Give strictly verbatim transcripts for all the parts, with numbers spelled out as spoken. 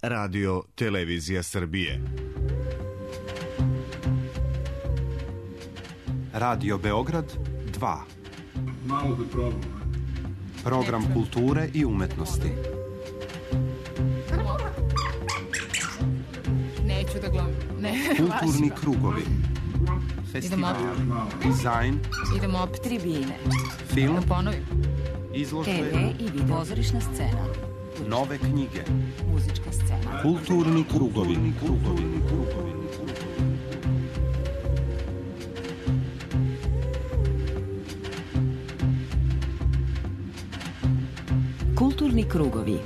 Radio Televizija Srbije. Radio Beograd dva. Malo da probam. Program kulture i umetnosti. Neću da glumim. Ne, kulturni krugovi. Festival, dizajn. Idemo opet tribine. Film. Da ponovim. Izložbe. te ve i video. Pozorišna scena. Nove knjige. Muzička scena. Kulturni krugovi. Krugovi. Krugovi. Kulturni krugovi.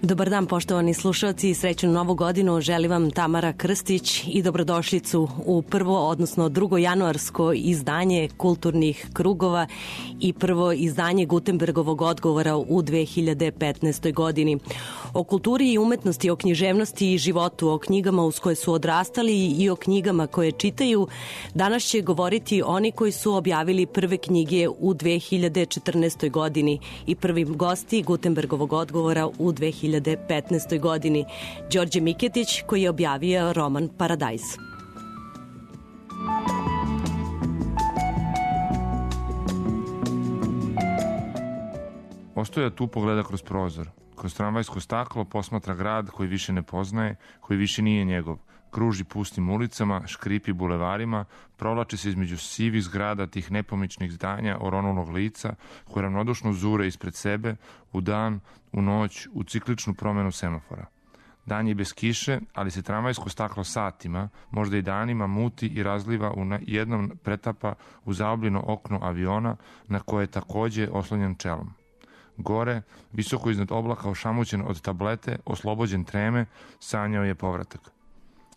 Dobar dan, poštovani slušalci, i srećnu novu godinu želi vam Tamara Krstić i dobrodošlicu u prvo, odnosno drugo januarsko izdanje Kulturnih krugova i prvo izdanje Gutenbergovog odgovora u dve hiljade petnaestoj godini. O kulturi i umetnosti, o književnosti i životu, o knjigama uz koje su odrastali i o knjigama koje čitaju, danas će govoriti oni koji su objavili prve knjige u dve hiljade četrnaestoj godini i prvi gosti Gutenbergovog odgovora u dve hiljade petnaestoj godini. Đorđe Miketić, koji je objavio roman Paradajz. Ostoja tu pogleda kroz prozor. Kroz tramvajsko staklo posmatra grad koji više ne poznaje, koji više nije njegov. Kruži pustim ulicama, škripi bulevarima, provlači se između sivih zgrada tih nepomičnih zdanja oronulog lica, koje ravnodušno zure ispred sebe, u dan, u noć, u cikličnu promenu semafora. Dan je bez kiše, ali se tramvajsko staklo satima, možda i danima, muti i razliva u jednom pretapa u zaobljeno okno aviona na koje je takođe oslonjen čelom. Gore, visoko iznad oblaka, ošamućen od tablete, oslobođen treme, sanjao je povratak.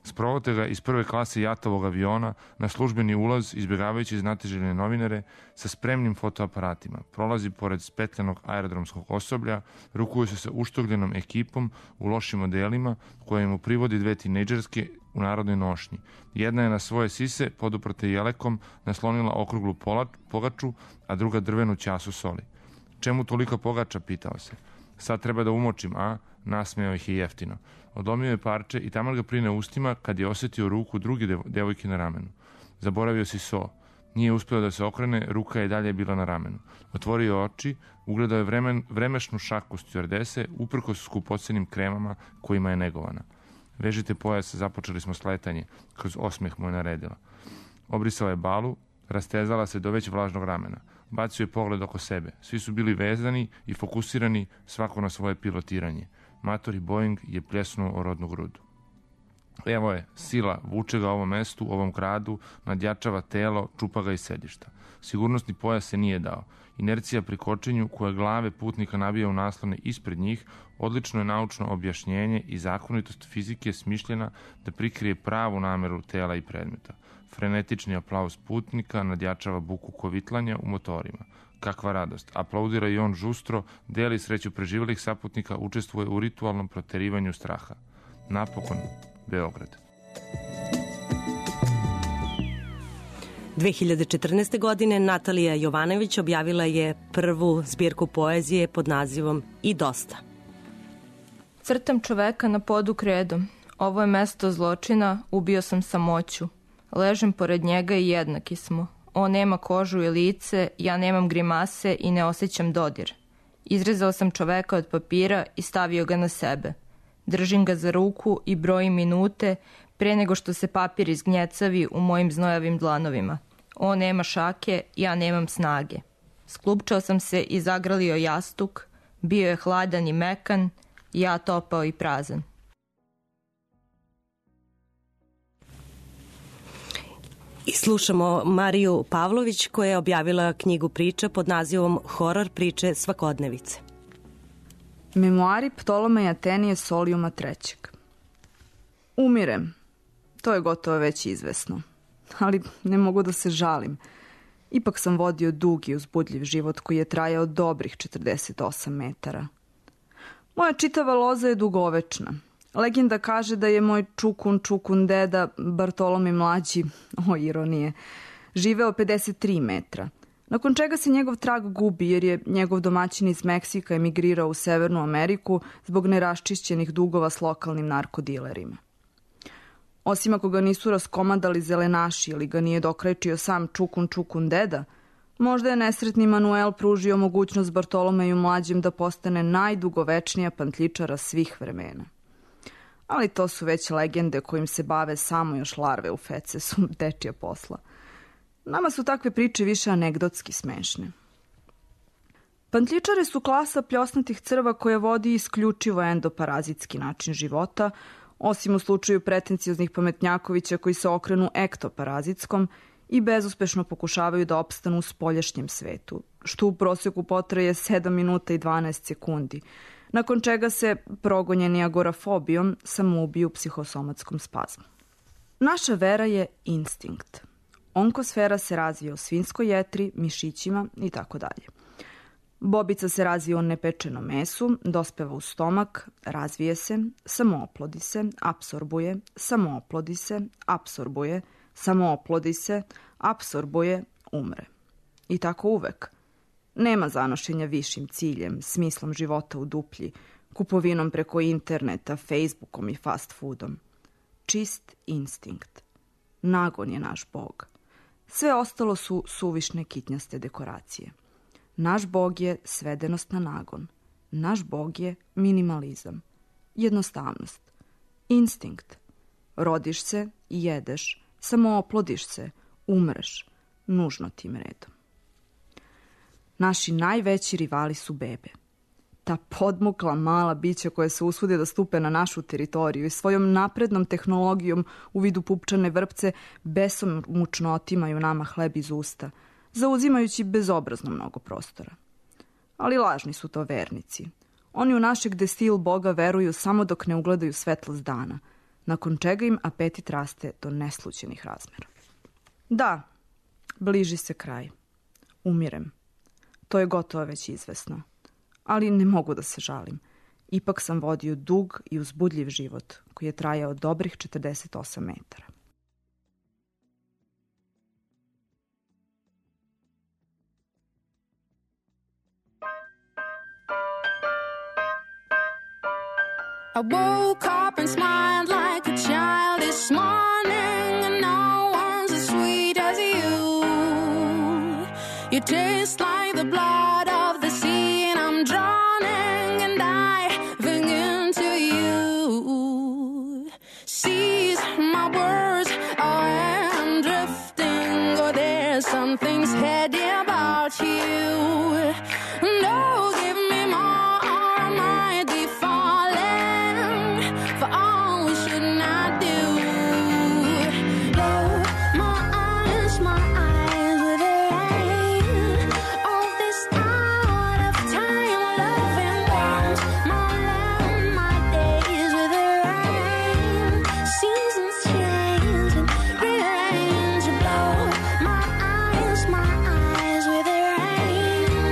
Sprovode ga iz prve klase jatovog aviona na službeni ulaz, izbjegavajući znatiželjne novinare sa spremnim fotoaparatima. Prolazi pored spetljanog aerodromskog osoblja, rukuje se sa uštogljenom ekipom u lošim modelima, koje mu privodi dve tinejdžerske u narodnoj nošnji. Jedna je na svoje sise, poduprte jelekom, naslonila okruglu pogaču, a druga drvenu ćasu soli. Čemu toliko pogača, pitao se. Sad treba da umočim, a? Nasmejao ih je jeftino. Odlomio je parče i taman ga prine ustima kad je osetio ruku druge devojke na ramenu. Zaboravio si so. Nije uspeo da se okrene, ruka je dalje bila na ramenu. Otvorio oči, ugledao je vremen, vremešnu šaku stjuardese, uprkos skupocenim kremama kojima je negovana. Vežite pojas, započeli smo sletanje, kroz osmeh mu je naredila. Obrisala je balu, rastezala se do već vlažnog ramena. Bacio je pogled oko sebe. Svi su bili vezani i fokusirani, svako na svoje pilotiranje. Matori Boeing je pljesnuo o rodnu grudu. Evo je, sila, vuče ga ovom mestu, ovom gradu, nadjačava telo, čupa ga iz sedišta. Sigurnosni pojas se nije dao. Inercija pri kočenju, koja glave putnika nabija u naslone ispred njih, odlično je naučno objašnjenje i zakonitost fizike smišljena da prikrije pravu nameru tela i predmeta. Frenetični aplauz putnika nadjačava buku kovitlanja u motorima. Kakva radost. Aplaudira i on žustro, deli sreću preživelih saputnika, učestvuje u ritualnom proterivanju straha. Napokon, Beograd. dve hiljade četrnaeste. godine Natalija Jovanović objavila je prvu zbirku poezije pod nazivom I dosta. Crtam čoveka na podu kredom. Ovo je mesto zločina, ubio sam samoću. Ležem pored njega i jednaki smo. On nema kožu i lice, ja nemam grimase i ne osjećam dodir. Izrezao sam čoveka od papira i stavio ga na sebe. Držim ga za ruku i brojim minute pre nego što se papir izgnjecavi u mojim znojavim dlanovima. On nema šake, ja nemam snage. Sklupčao sam se i zagrlio jastuk, bio je hladan i mekan, ja topao i prazan. I slušamo Mariju Pavlović koja je objavila knjigu priča pod nazivom Horor priče svakodnevice. Memoari Ptolomeja Tenije Solijuma trećeg. Umirem. To je gotovo već izvesno. Ali ne mogu da se žalim. Ipak sam vodio dug i uzbudljiv život koji je trajao dobrih četrdeset osam metara. Moja čitava loza je dugovečna. Legenda kaže da je moj čukun čukun deda Bartolomej mlađi, o ironije, živeo pedeset tri metra, nakon čega se njegov trag gubi jer je njegov domaćin iz Meksika emigrirao u Severnu Ameriku zbog neraščišćenih dugova s lokalnim narkodilerima. Osim ako ga nisu raskomadali zelenaši ili ga nije dokrajčio sam čukun čukun deda, možda je nesretni Manuel pružio mogućnost Bartolomeju mlađem da postane najdugovečnija pantličara svih vremena. Ali to su već legende kojim se bave samo još larve u fecesu, dečija posla. Nama su takve priče više anegdotski smešne. Pantličare su klasa pljosnatih crva koja vodi isključivo endoparazitski način života, osim u slučaju pretencioznih pametnjakovića koji se okrenu ektoparazitskom i bezuspešno pokušavaju da opstanu u spoljašnjem svetu, što u prosjeku potraje sedam minuta i dvanaest sekundi, nakon čega se, progonjeni agorafobijom, samoubiju u psihosomatskom spazmu. Naša vera je instinkt. Onkosfera se razvija u svinjskoj jetri, mišićima i tako dalje. Bobica se razvija u nepečenom mesu, dospeva u stomak, razvije se, samooplodi se, apsorbuje, samooplodi se, apsorbuje, samooplodi se, apsorbuje, umre. I tako uvek. Nema zanošenja višim ciljem, smislom života u duplji, kupovinom preko interneta, Facebookom i fast foodom. Čist instinkt. Nagon je naš bog. Sve ostalo su suvišne kitnjaste dekoracije. Naš bog je svedenost na nagon. Naš bog je minimalizam. Jednostavnost. Instinkt. Rodiš se i jedeš, samo oplodiš se, umreš, nužno tim redom. Naši najveći rivali su bebe. Ta podmukla mala bića koja se usude da stupe na našu teritoriju i svojom naprednom tehnologijom u vidu pupčane vrpce besomučno otimaju nama hleb iz usta, zauzimajući bezobrazno mnogo prostora. Ali lažni su to vernici. Oni u našeg destil Boga veruju samo dok ne ugledaju svetlost dana, nakon čega im apetit raste do neslućenih razmera. Da, bliži se kraj. Umirem. To je gotovo već izvesno. Ali ne mogu da se žalim. Ipak sam vodio dug i uzbudljiv život koji je trajao dobrih četrdeset osam metara. I woke up and smiled like a child this morning, and no one's as sweet as you. You taste like the blood of the sea, and I'm drowning and diving into you. Seize my words, I am drifting, or there's something's heady about you. No, give me more, or I might be falling for all we should not do. Blow my eyes, my eyes with the rain of this out of time loving ones. My love, my days with the rain. Seasons change and rearrange. Blow my eyes, my eyes with the rain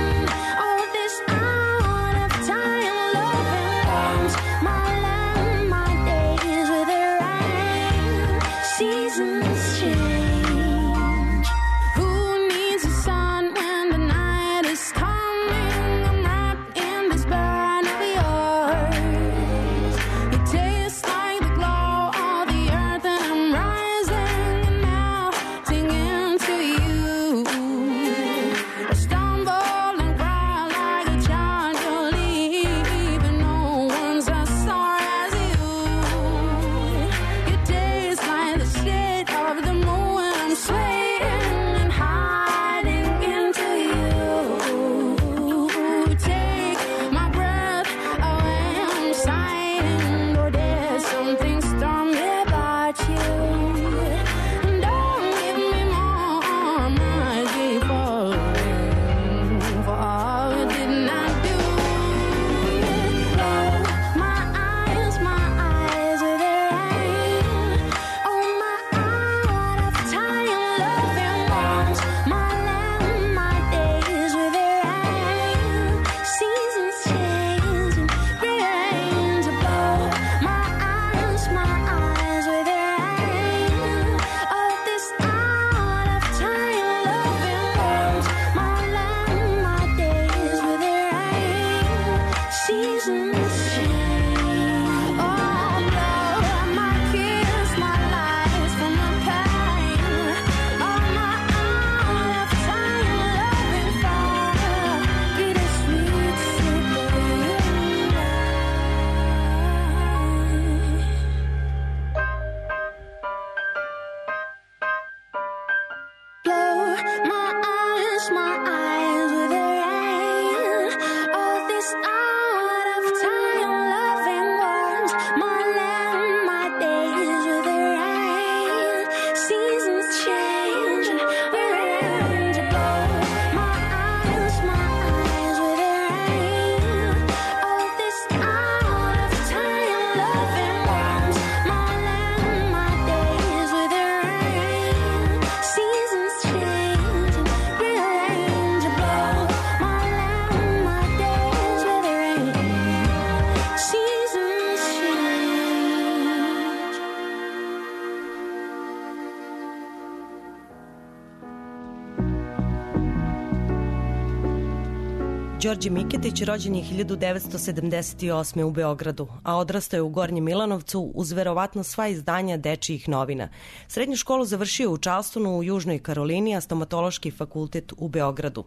Đorđe Miketić rođen je hiljadu devetsto sedamdeset osme. u Beogradu, a odrastao je u Gornjem Milanovcu uz verovatno sva izdanja dečijih novina. Srednju školu završio u Charlestonu u Južnoj Karolini, a stomatološki fakultet u Beogradu.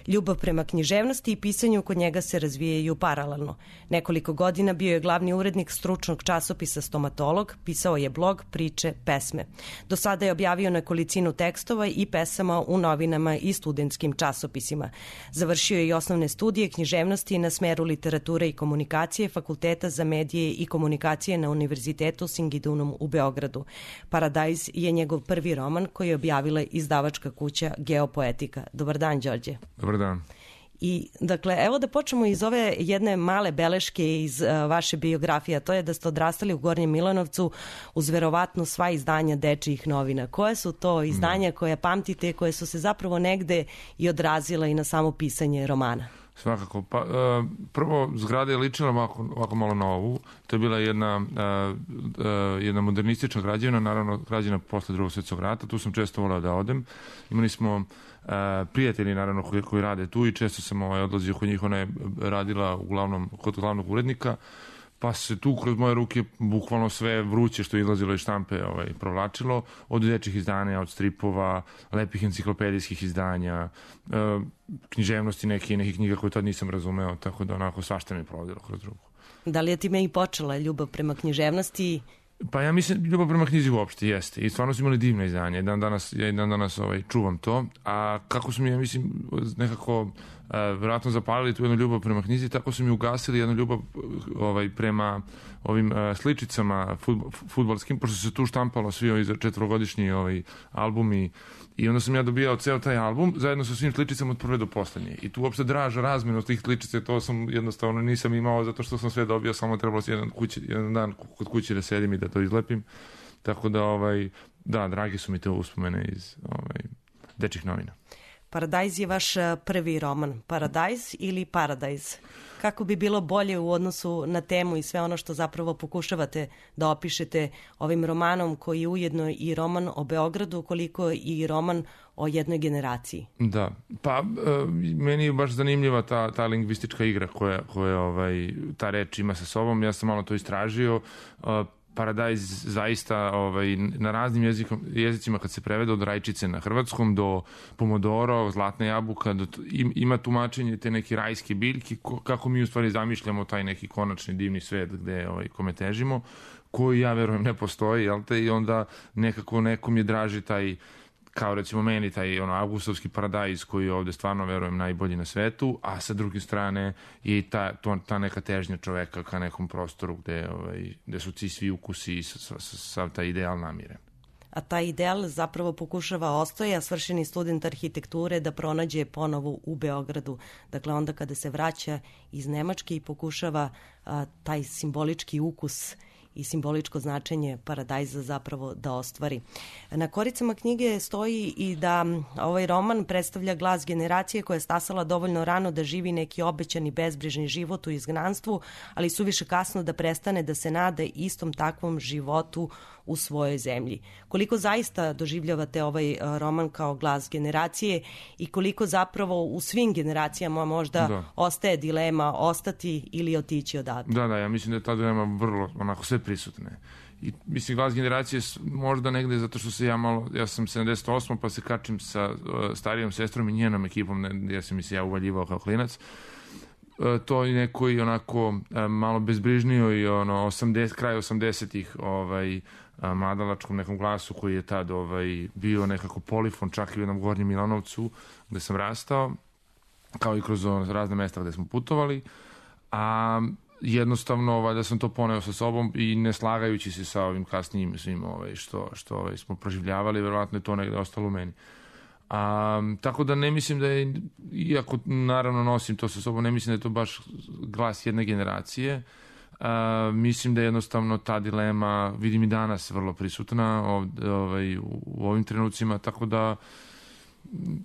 Ljubav prema književnosti i pisanju kod njega se razvijaju paralelno. Nekoliko godina bio je glavni urednik stručnog časopisa Stomatolog, pisao je blog, priče, pesme. Do sada je objavio nekolicinu tekstova i pesama u novinama i studentskim časopisima. Završio je i osnovne studije književnosti na smeru literature i komunikacije Fakulteta za medije i komunikacije na Univerzitetu Singidunum u Beogradu. Paradajz je njegov prvi roman koji je objavila izdavačka kuća Geopoetika. Dobar dan, Đorđe. Dobar dan. I, dakle, evo da počnemo iz ove jedne male beleške iz uh, vaše biografije, a to je da ste odrastali u Gornjem Milanovcu uz verovatno sva izdanja dečijih novina. Koje su to izdanja koje pamtite, koje su se zapravo negde i odrazila i na samo pisanje romana? Svakako. Pa, uh, prvo, zgrada je ličila ovako, ovako malo na ovu. To je bila jedna, uh, uh, jedna modernistična građevina, naravno građena posle drugog svjetskog rata. Tu sam često volao da odem. Imali smo uh, prijatelji, naravno, koji, koji rade tu i često sam ovaj, odlazio kod njih. Ona je radila uglavnom kod glavnog urednika. Pa se tu kroz moje ruke bukvalno sve vruće što je izlazilo iz štampe ovaj, provlačilo, od dečjih izdanja, od stripova, lepih enciklopedijskih izdanja, e, književnosti neke, nekih knjiga koje tad nisam razumeo, tako da onako svašta mi je provodilo kroz ruku. Da li je time i počela ljubav prema književnosti? Pa ja mislim, ljubav prema knjizi uopšte jeste. I stvarno su imali divne izdanje. Dan danas, ja i dan danas ovaj, čuvam to. A kako su mi, ja mislim, nekako uh, vjerojatno zapalili tu jednu ljubav prema knjizi, tako su mi ugasili jednu ljubav ovaj, prema ovim uh, sličicama futbol, futbolskim, pošto se tu štampalo svi ovi četvorogodišnji ovaj, albumi. I onda sam ja dobijao ceo taj album zajedno sa svim sličicama od prve do poslednje. I tu uopšte draža razmenu tih sličice, to sam jednostavno nisam imao zato što sam sve dobio, samo trebalo se jedan, kući, jedan dan kod kuće da sedim i da to izlepim. Tako da, ovaj, da, dragi su mi te uspomene iz ovaj, dečjih novina. Paradajz je vaš prvi roman. Paradajz ili Paradajz? Kako bi bilo bolje u odnosu na temu i sve ono što zapravo pokušavate da opišete ovim romanom koji je ujedno i roman o Beogradu, koliko i roman o jednoj generaciji? Da, pa meni je baš zanimljiva ta, ta lingvistička igra koja, koja ovaj, ta reč ima sa sobom. Ja sam malo to istražio. Paradajz zaista ovaj, na raznim jezikom, jezicima kad se prevede od rajčice na hrvatskom do pomodoro, zlatna jabuka, do, ima tumačenje te neke rajske biljke, kako mi u stvari zamišljamo taj neki konačni divni svet gde ovaj, kome težimo, koji ja verujem ne postoji, jel te, i onda nekako nekom je draži taj, kao recimo meni, taj ono, avgustovski paradajz koji je ovde stvarno, verujem, najbolji na svetu, a sa druge strane i ta, to, ta neka težnja čoveka ka nekom prostoru gde, ovaj, gde su ti svi ukusi i sav taj ideal namiren. A taj ideal zapravo pokušava ostoje, a svršeni student arhitekture da pronađe ponovo u Beogradu. Dakle, onda kada se vraća iz Nemačke i pokušava a, taj simbolički ukus i simboličko značenje paradajza zapravo da ostvari. Na koricama knjige stoji i da ovaj roman predstavlja glas generacije koja je stasala dovoljno rano da živi neki obećani bezbrižni život u izgnanstvu, ali suviše kasno da prestane da se nada istom takvom životu u svojoj zemlji. Koliko zaista doživljavate ovaj roman kao glas generacije i koliko zapravo u svim generacijama možda da. ostaje dilema ostati ili otići odavde? Da, da, ja mislim da je ta dilema vrlo onako sve prisutne. I mislim, glas generacije možda negde zato što se ja malo, ja sam sedamdeset osma pa se kačim sa uh, starijom sestrom i njenom ekipom, ne, ja sam mi se ja uvaljivao kao klinac. To je neko i onako malo bezbrižnio i ono osamdeset, kraj osamdesetih ovaj, mladalačkom nekom glasu koji je tad ovaj, bio nekako polifon čak i u jednom Gornjem Milanovcu gde sam rastao, kao i kroz ono, razne mesta gde smo putovali, a jednostavno valjda sam to poneo sa sobom i ne slagajući se sa ovim kasnijim svim ovaj, što, što ovaj, smo proživljavali, verovatno je to negde ostalo u meni. A, tako da ne mislim da je, iako naravno nosim to sa sobom, ne mislim da je to baš glas jedne generacije. A, mislim da je jednostavno ta dilema, vidim i danas, vrlo prisutna ovde, ovaj, u, u ovim trenucima, tako da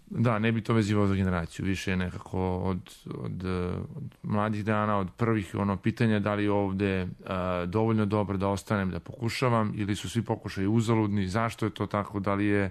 da, ne bi to vezivao za generaciju, više je nekako od, od, od mladih dana, od prvih ono, pitanja da li je ovde a, dovoljno dobro da ostanem, da pokušavam, ili su svi pokušaji uzaludni, zašto je to tako, da li je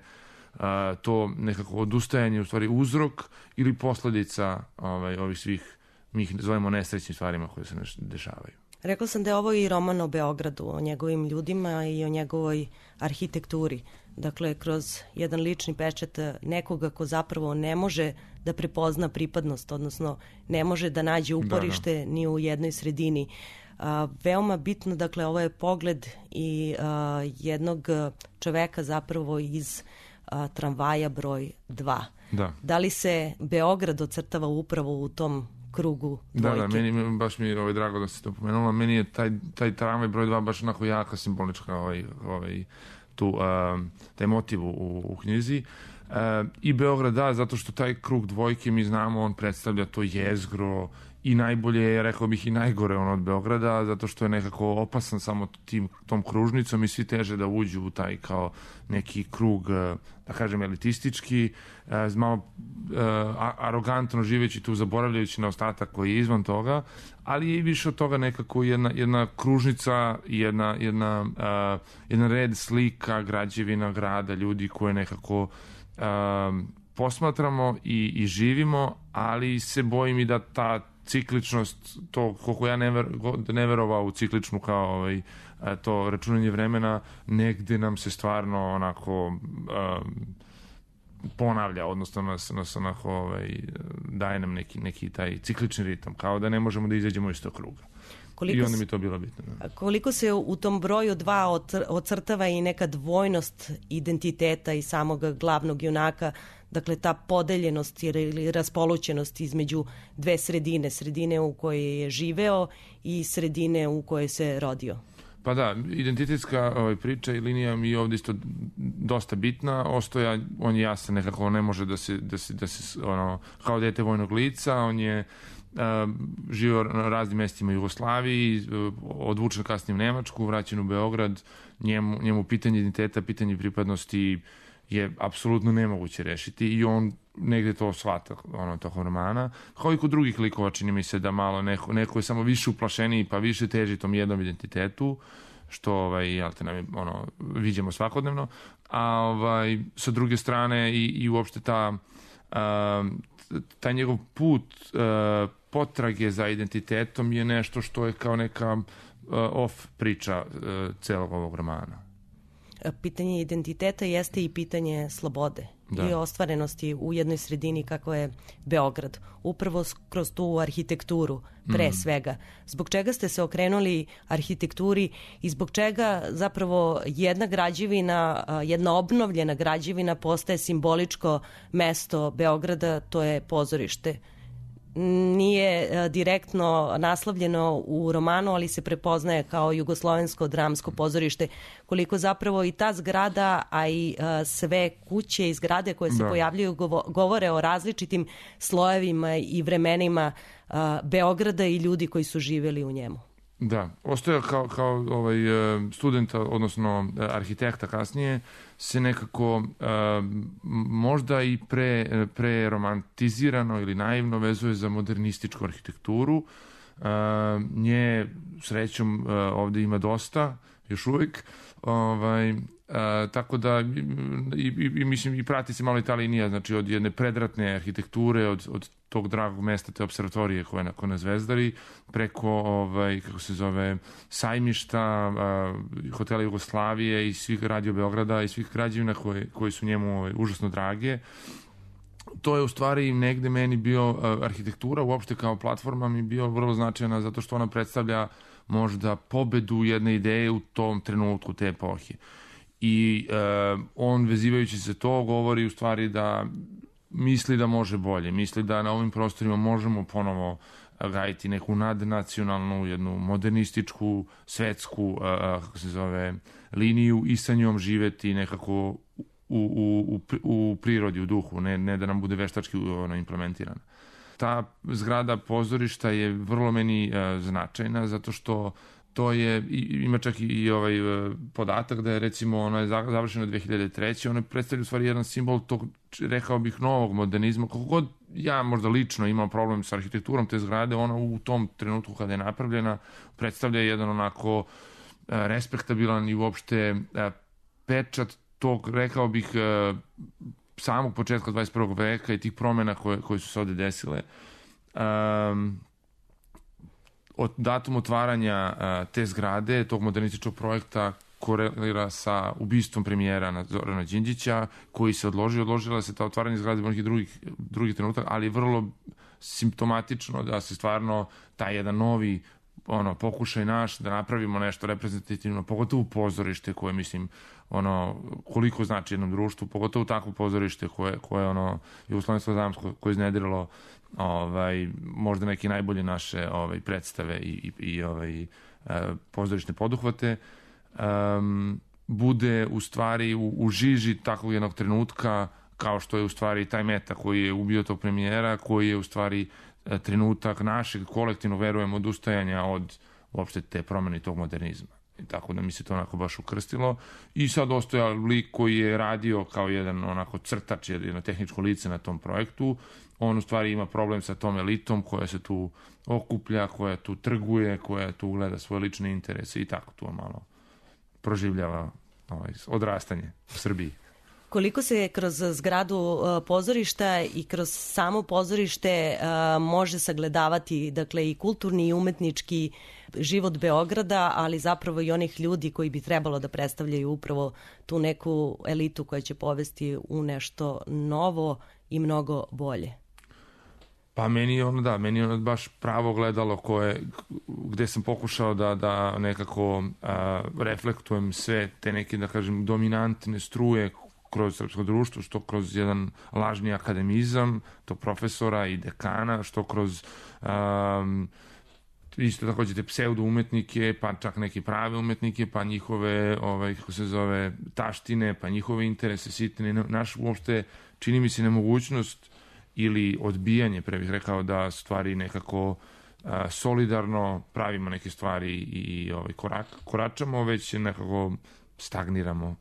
a, to nekako odustajanje u stvari uzrok ili posledica ovaj, ovih svih mi ih zovemo nesrećnim stvarima koje se dešavaju. Rekla sam da je ovo i roman o Beogradu, o njegovim ljudima i o njegovoj arhitekturi. Dakle, kroz jedan lični pečat nekoga ko zapravo ne može da prepozna pripadnost, odnosno ne može da nađe uporište da, da. ni u jednoj sredini. A, veoma bitno, dakle, ovo je pogled i a, jednog čoveka zapravo iz a, tramvaja broj dva. Da. Da li se Beograd ocrtava upravo u tom krugu dvojke? Da, da, meni baš mi je ovaj, drago da si to pomenula. Meni je taj, taj tramvaj broj dva baš onako jaka simbolička ovaj, ovaj, tu, uh, taj motiv u, u knjizi. Uh, I Beograd, da, zato što taj krug dvojke, mi znamo, on predstavlja to jezgro i najbolje, rekao bih, i najgore on od Beograda, zato što je nekako opasan samo tim, tom kružnicom i svi teže da uđu u taj kao neki krug, da kažem, elitistički, malo arogantno živeći tu, zaboravljajući na ostatak koji je izvan toga, ali je i više od toga nekako jedna, jedna kružnica, jedna, jedna, uh, jedan red slika, građevina, grada, ljudi koje nekako uh, posmatramo i, i živimo, ali se bojim i da ta cikličnost, to koliko ja ne, ver, ne verovao u cikličnu kao ovaj, to računanje vremena, negde nam se stvarno onako um, ponavlja, odnosno nas, nas onako ovaj, daje nam neki, neki taj ciklični ritam, kao da ne možemo da izađemo iz tog kruga. Koliko I onda mi to bilo bitno. Da. Koliko se u tom broju dva ocrtava i neka dvojnost identiteta i samog glavnog junaka, dakle ta podeljenost ili raspolućenost između dve sredine, sredine u kojoj je živeo i sredine u kojoj se rodio? Pa da, identitetska ovaj, priča i linija mi je ovdje isto dosta bitna. Ostoja, on je jasan nekako, ne može da se, da se, da se ono, kao dete vojnog lica, on je Uh, živio na raznim mestima u Jugoslaviji, uh, odvučen kasnije u Nemačku, vraćen u Beograd, njemu, njemu pitanje identiteta, pitanje pripadnosti je apsolutno nemoguće rešiti i on negde to shvata ono, tokom romana. Kao i kod drugih likova čini mi se da malo neko, neko je samo više uplašeniji pa više teži tom jednom identitetu, što ovaj, jel te, nam, ono, viđemo svakodnevno, a ovaj, sa druge strane i, i uopšte ta uh, taj njegov put uh, potrage za identitetom je nešto što je kao neka uh, off priča uh, celog ovog romana. Pitanje identiteta jeste i pitanje slobode da. I ostvarenosti u jednoj sredini kako je Beograd. Upravo kroz tu arhitekturu, pre mm. svega. Zbog čega ste se okrenuli arhitekturi i zbog čega zapravo jedna građevina, jedna obnovljena građevina postaje simboličko mesto Beograda, to je pozorište. Nije direktno naslovljeno u romanu, ali se prepoznaje kao jugoslovensko dramsko pozorište. Koliko zapravo i ta zgrada, a i sve kuće i zgrade koje se da. pojavljaju govore o različitim slojevima i vremenima Beograda i ljudi koji su živjeli u njemu. Da, ostaje kao, kao ovaj, studenta, odnosno arhitekta kasnije, se nekako uh, možda i pre, pre romantizirano ili naivno vezuje za modernističku arhitектuru. Uh, nje, srećom, uh, ovde ima dosta, još uvijek. Ovaj, uh, tako da, i, i, i, mislim, i prati se malo i ta linija, znači od jedne predratne arhitekture, od, od tog dragog mesta, te observatorije koje je nakon na Zvezdari, preko, ovaj, kako se zove, sajmišta, uh, hotela Jugoslavije i svih radio Beograda i svih građevina koje, koji su njemu ovaj, užasno drage. To je u stvari negde meni bio uh, arhitektura, uopšte kao platforma mi bio vrlo značajna zato što ona predstavlja možda pobedu jedne ideje u tom trenutku te epohe. I uh, on, vezivajući se to, govori u stvari da misli da može bolje, misli da na ovim prostorima možemo ponovo gajiti neku nadnacionalnu, jednu modernističku, svetsku, uh, kako se zove, liniju i sa njom živeti nekako u, u, u, u prirodi, u duhu, ne, ne da nam bude veštački ono, implementirana. Ta zgrada pozorišta je vrlo meni uh, značajna zato što to je, ima čak i ovaj podatak da je recimo ona je završena dve hiljade treće. Ona predstavlja u stvari jedan simbol tog, rekao bih, novog modernizma. Kako god ja možda lično imam problem sa arhitekturom te zgrade, ona u tom trenutku kada je napravljena predstavlja jedan onako respektabilan i uopšte pečat tog, rekao bih, samog početka dvadeset prvog veka i tih promjena koje, koje su se ovde desile. Um, od datum otvaranja uh, te zgrade, tog modernističkog projekta, korelira sa ubistvom premijera Zorana Đinđića, koji se odložio, odložila se ta otvaranje zgrade u nekih drugih, drugih trenutak, ali je vrlo simptomatično da se stvarno taj jedan novi ono, pokušaj naš da napravimo nešto reprezentativno, pogotovo pozorište koje, mislim, ono, koliko znači jednom društvu, pogotovo takvo pozorište koje, koje ono, Jugoslovensko damsko, koje je iznediralo ovaj, možda neke najbolje naše ovaj, predstave i, i, i ovaj, pozorišne poduhvate, um, bude u stvari u, u žiži takvog jednog trenutka, kao što je u stvari taj meta koji je ubio tog premijera, koji je u stvari trenutak našeg kolektivno, verujem, odustajanja od uopšte te promene tog modernizma. I tako da mi se to onako baš ukrstilo. I sad ostoja lik koji je radio kao jedan onako crtač, jedno tehničko lice na tom projektu. On u stvari ima problem sa tom elitom koja se tu okuplja, koja tu trguje, koja tu gleda svoje lične interese i tako tu malo proživljava ovaj, odrastanje u Srbiji. Koliko se kroz zgradu pozorišta i kroz samo pozorište može sagledavati, dakle, i kulturni i umetnički život Beograda, ali zapravo i onih ljudi koji bi trebalo da predstavljaju upravo tu neku elitu koja će povesti u nešto novo i mnogo bolje? Pa meni je ono, da, meni je ono baš pravo gledalo koje, gde sam pokušao da, da nekako a, reflektujem sve te neke, da kažem, dominantne struje kroz srpsko društvo, što kroz jedan lažni akademizam tog profesora i dekana, što kroz um, isto takođe te pseudo umetnike, pa čak neke prave umetnike, pa njihove, ovaj, kako se zove, taštine, pa njihove interese sitne. Naš uopšte čini mi se nemogućnost ili odbijanje, pre bih rekao, da stvari nekako uh, solidarno pravimo neke stvari i ovaj, korak, koračamo, već nekako stagniramo.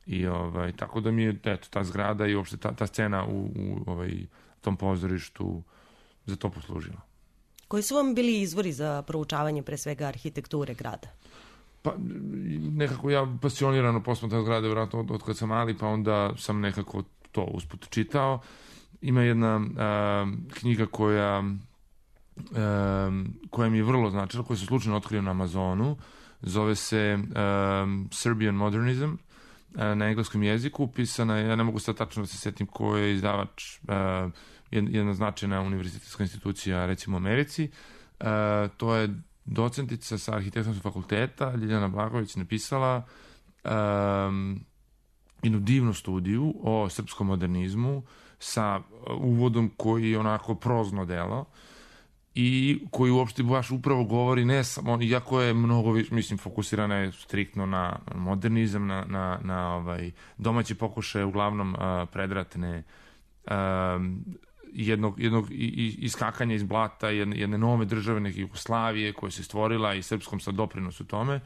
I ovaj, tako da mi je eto, ta zgrada i uopšte ta, ta scena u, u ovaj, tom pozorištu za to poslužila. Koji su vam bili izvori za proučavanje pre svega arhitekture grada? Pa nekako ja pasionirano posmatram zgrade vjerojatno od, od kad sam mali, pa onda sam nekako to usput čitao. Ima jedna a, knjiga koja, a, koja mi je vrlo značila, koja se slučajno otkrio na Amazonu. Zove se a, Serbian Modernism, na engleskom jeziku, pisana je, ja ne mogu sad tačno da se setim ko je izdavač, uh, jedna značajna univerzitetska institucija, recimo u Americi. Uh, to je docentica sa arhitektonskog fakulteta, Ljiljana Blagović, napisala um, jednu divnu studiju o srpskom modernizmu sa uvodom koji je onako prozno delo i koji uopšte baš upravo govori ne samo, iako je mnogo, mislim, fokusirana je striktno na modernizam, na, na, na ovaj, domaće pokušaje, uglavnom uh, predratne, uh, jednog, jednog iskakanja iz blata, jedne, jedne nove države, neke Jugoslavije koja se stvorila i srpskom sad doprinosu tome,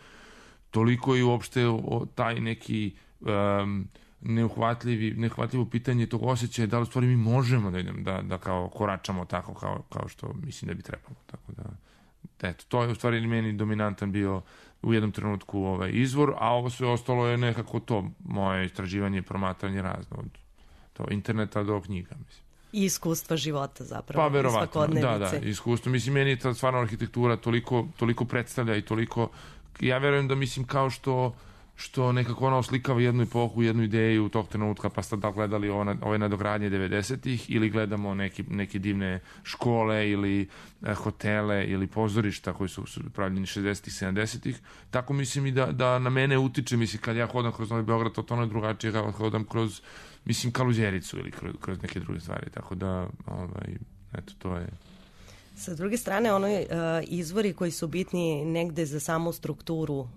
toliko je uopšte o, taj neki um, neuhvatljivi, neuhvatljivo pitanje tog osjećaja da li u stvari mi možemo da idem, da, da kao koračamo tako kao, kao što mislim da bi trebalo. Tako da, eto, to je u stvari meni dominantan bio u jednom trenutku ovaj izvor, a ovo sve ostalo je nekako to moje istraživanje i promatranje razno od to interneta do knjiga, mislim. I iskustva života zapravo. Pa verovatno, da, da, iskustvo. Mislim, meni je ta stvarno arhitektura toliko, toliko predstavlja i toliko, ja verujem da mislim kao što što nekako ona oslikava jednu epohu, jednu ideju tog trenutka, pa ste da gledali ove, ove nadogradnje devedesetih ili gledamo neki, neke divne škole ili eh, hotele ili pozorišta koji su, su pravljeni šezdesetih, sedamdesetih. Tako mislim i da, da na mene utiče, mislim, kad ja hodam kroz Novi Beograd, to ono je drugačije kad hodam kroz, mislim, Kaluđericu ili kroz, kroz neke druge stvari. Tako da, ovaj, eto, to je... Sa druge strane, ono je, uh, izvori koji su bitni negde za samu strukturu, uh,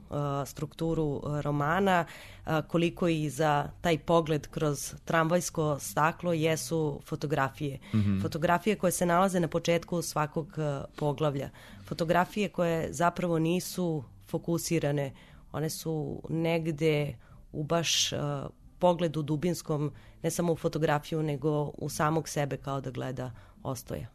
strukturu romana, uh, koliko i za taj pogled kroz tramvajsko staklo jesu fotografije. Mm-hmm. Fotografije koje se nalaze na početku svakog uh, poglavlja. Fotografije koje zapravo nisu fokusirane, one su negde u baš uh, pogledu dubinskom, ne samo u fotografiju, nego u samog sebe kao da gleda Ostoja.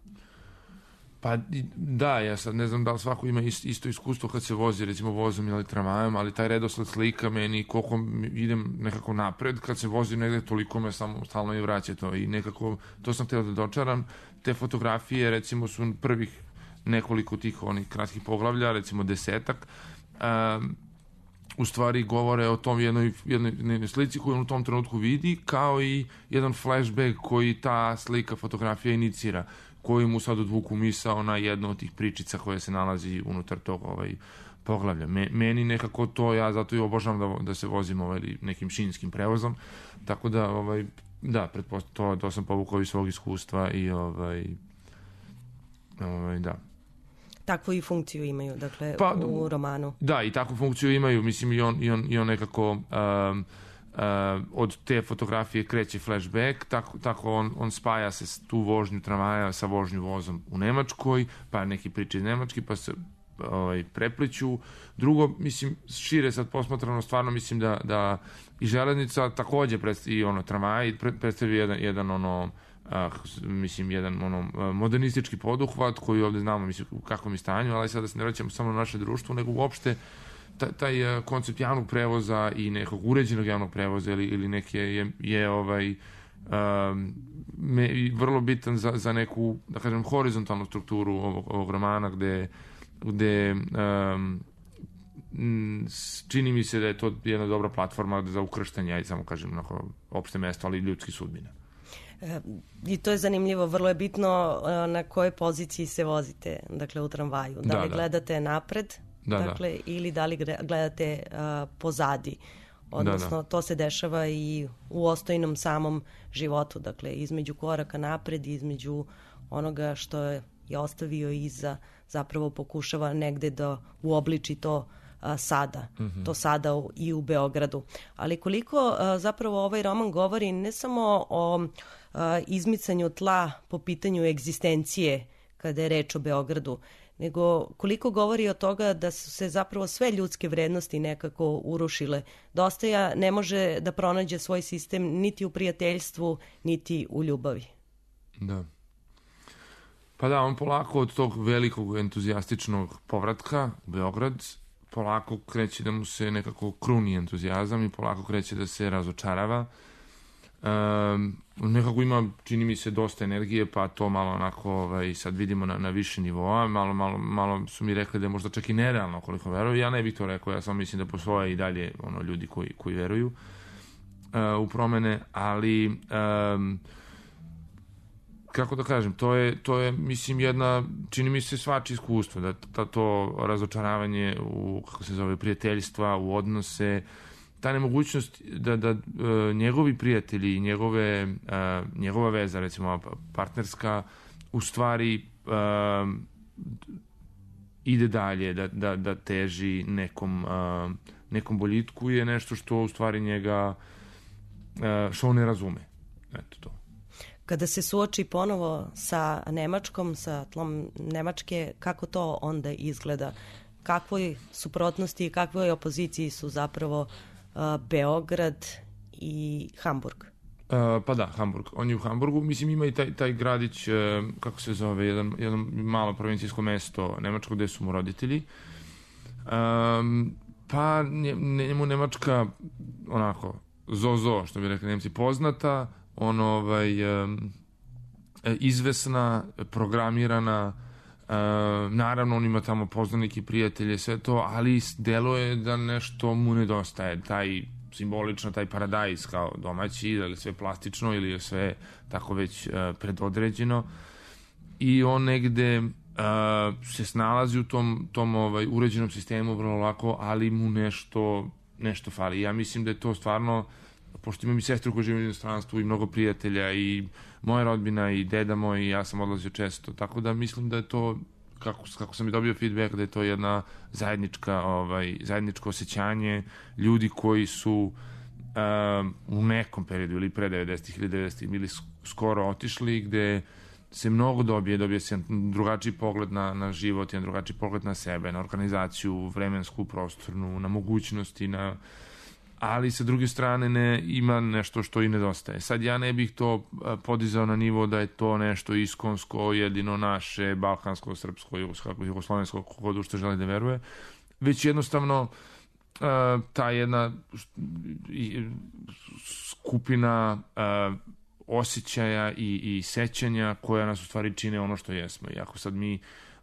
Pa da, ja sad ne znam da li svako ima isto iskustvo kad se vozi, recimo vozom ili tramvajem, ali taj redosled slika meni koliko idem nekako napred, kad se vozim negde toliko me samo stalno i vraća to i nekako, to sam htio da dočaram. Te fotografije recimo su prvih nekoliko tih onih kratkih poglavlja, recimo desetak, um, u stvari govore o tom jednoj, jednoj, jednoj slici koju on u tom trenutku vidi, kao i jedan flashback koji ta slika, fotografija inicira, koji mu sad odvuku misao na jednu od tih pričica koja se nalazi unutar tog ovaj, poglavlja. Me, meni nekako to, ja zato i obožavam da, da se vozim ovaj, nekim šinskim prevozom, tako da, ovaj, da, pretpostavljam, to, to sam povukao iz svog iskustva i ovaj, ovaj, da. Takvu i funkciju imaju, dakle, pa, u romanu. Da, i takvu funkciju imaju, mislim, i on, i on, i on nekako um, uh, od te fotografije kreće flashback, tako, tako on, on spaja se tu vožnju tramvaja sa vožnju vozom u Nemačkoj, pa neki priče iz Nemačke, pa se ovaj, prepliću. Drugo, mislim, šire sad posmatrano, stvarno mislim da, da i železnica takođe predstavlja, i ono, tramvaj predstavlja jedan, jedan ono, Uh, mislim, jedan ono, modernistički poduhvat koji ovde znamo, mislim, u kakvom je stanju, ali sada se ne vraćamo samo na naše društvo, nego uopšte taj, taj uh, koncept javnog prevoza i nekog uređenog javnog prevoza ili, ili neke je, je ovaj, um, me, vrlo bitan za, za neku, da kažem, horizontalnu strukturu ovog, ovog romana, gde, gde um, čini mi se da je to jedna dobra platforma za ukrštanje, ajde samo kažem, onako, opšte mesto, ali ljudski sudbina. I to je zanimljivo, vrlo je bitno na kojoj poziciji se vozite, dakle, u tramvaju. Da, da li da. gledate napred, da, dakle, da. ili da li gledate uh, pozadi. Odnosno, da, da. to se dešava i u ostojnom samom životu, dakle, između koraka napred, između onoga što je ostavio iza, zapravo pokušava negde da uobliči to a, sada, mm-hmm. to sada u, i u Beogradu. Ali koliko a, zapravo ovaj roman govori ne samo o a, izmicanju tla po pitanju egzistencije kada je reč o Beogradu, nego koliko govori o toga da su se zapravo sve ljudske vrednosti nekako urušile. Dostaja ne može da pronađe svoj sistem niti u prijateljstvu, niti u ljubavi. Da. Pa da, on polako od tog velikog entuzijastičnog povratka u Beograd polako kreće da mu se nekako kruni entuzijazam i polako kreće da se razočarava. Um, nekako ima, čini mi se, dosta energije, pa to malo onako ovaj, sad vidimo na, na više nivoa. Malo, malo, malo su mi rekli da je možda čak i nerealno koliko veruju. Ja ne bih to rekao, ja samo mislim da postoje i dalje ono, ljudi koji, koji veruju uh, u promene, ali um, kako da kažem, to je, to je, mislim, jedna, čini mi se, svačije iskustvo, da ta, to razočaravanje u, kako se zove, prijateljstva, u odnose, ta nemogućnost da, da uh, njegovi prijatelji, njegove, uh, njegova veza, recimo partnerska, u stvari uh, ide dalje, da, da, da teži nekom, uh, nekom boljitku, je nešto što u stvari njega, uh, što on ne razume. Eto to. Kada se suoči ponovo sa Nemačkom, sa tlom Nemačke, kako to onda izgleda? Kakvoj suprotnosti i kakvoj opoziciji su zapravo uh, Beograd i Hamburg? Uh, pa da, Hamburg. On je u Hamburgu. Mislim, ima i taj, taj gradić, uh, kako se zove, jedan, jedno malo provincijsko mesto Nemačko, gde su mu roditelji. Um, pa njemu Nemačka, onako, zo-zo, što bi rekli Nemci, poznata, on ovaj, um, izvesna, programirana, uh, naravno on ima tamo poznanike, prijatelje, sve to, ali deluje da nešto mu nedostaje, taj simbolično, taj paradajz kao domaći, da li sve plastično ili je sve tako već uh, predodređeno, i on negde uh, se snalazi u tom, tom ovaj, uređenom sistemu vrlo lako, ali mu nešto, nešto fali. Ja mislim da je to stvarno, pošto imam i sestru koja živi u inostranstvu i mnogo prijatelja i moja rodbina i deda moj i ja sam odlazio često, tako da mislim da je to, kako, kako sam i dobio feedback, da je to jedna zajednička, ovaj, zajedničko osjećanje ljudi koji su um, u nekom periodu ili pre devedesetih ili devedesetih bili skoro otišli, gde se mnogo dobije, dobije se jedan drugačiji pogled na, na život, jedan drugačiji pogled na sebe, na organizaciju vremensku, prostornu, na mogućnosti, na ali sa druge strane ne, ima nešto što i nedostaje. Sad ja ne bih to podizao na nivo da je to nešto iskonsko, jedino naše, balkansko, srpsko, jugoslovensko, kogod što želi da veruje, već jednostavno ta jedna skupina osjećaja i, i sećanja koja nas u stvari čine ono što jesmo. I ako sad mi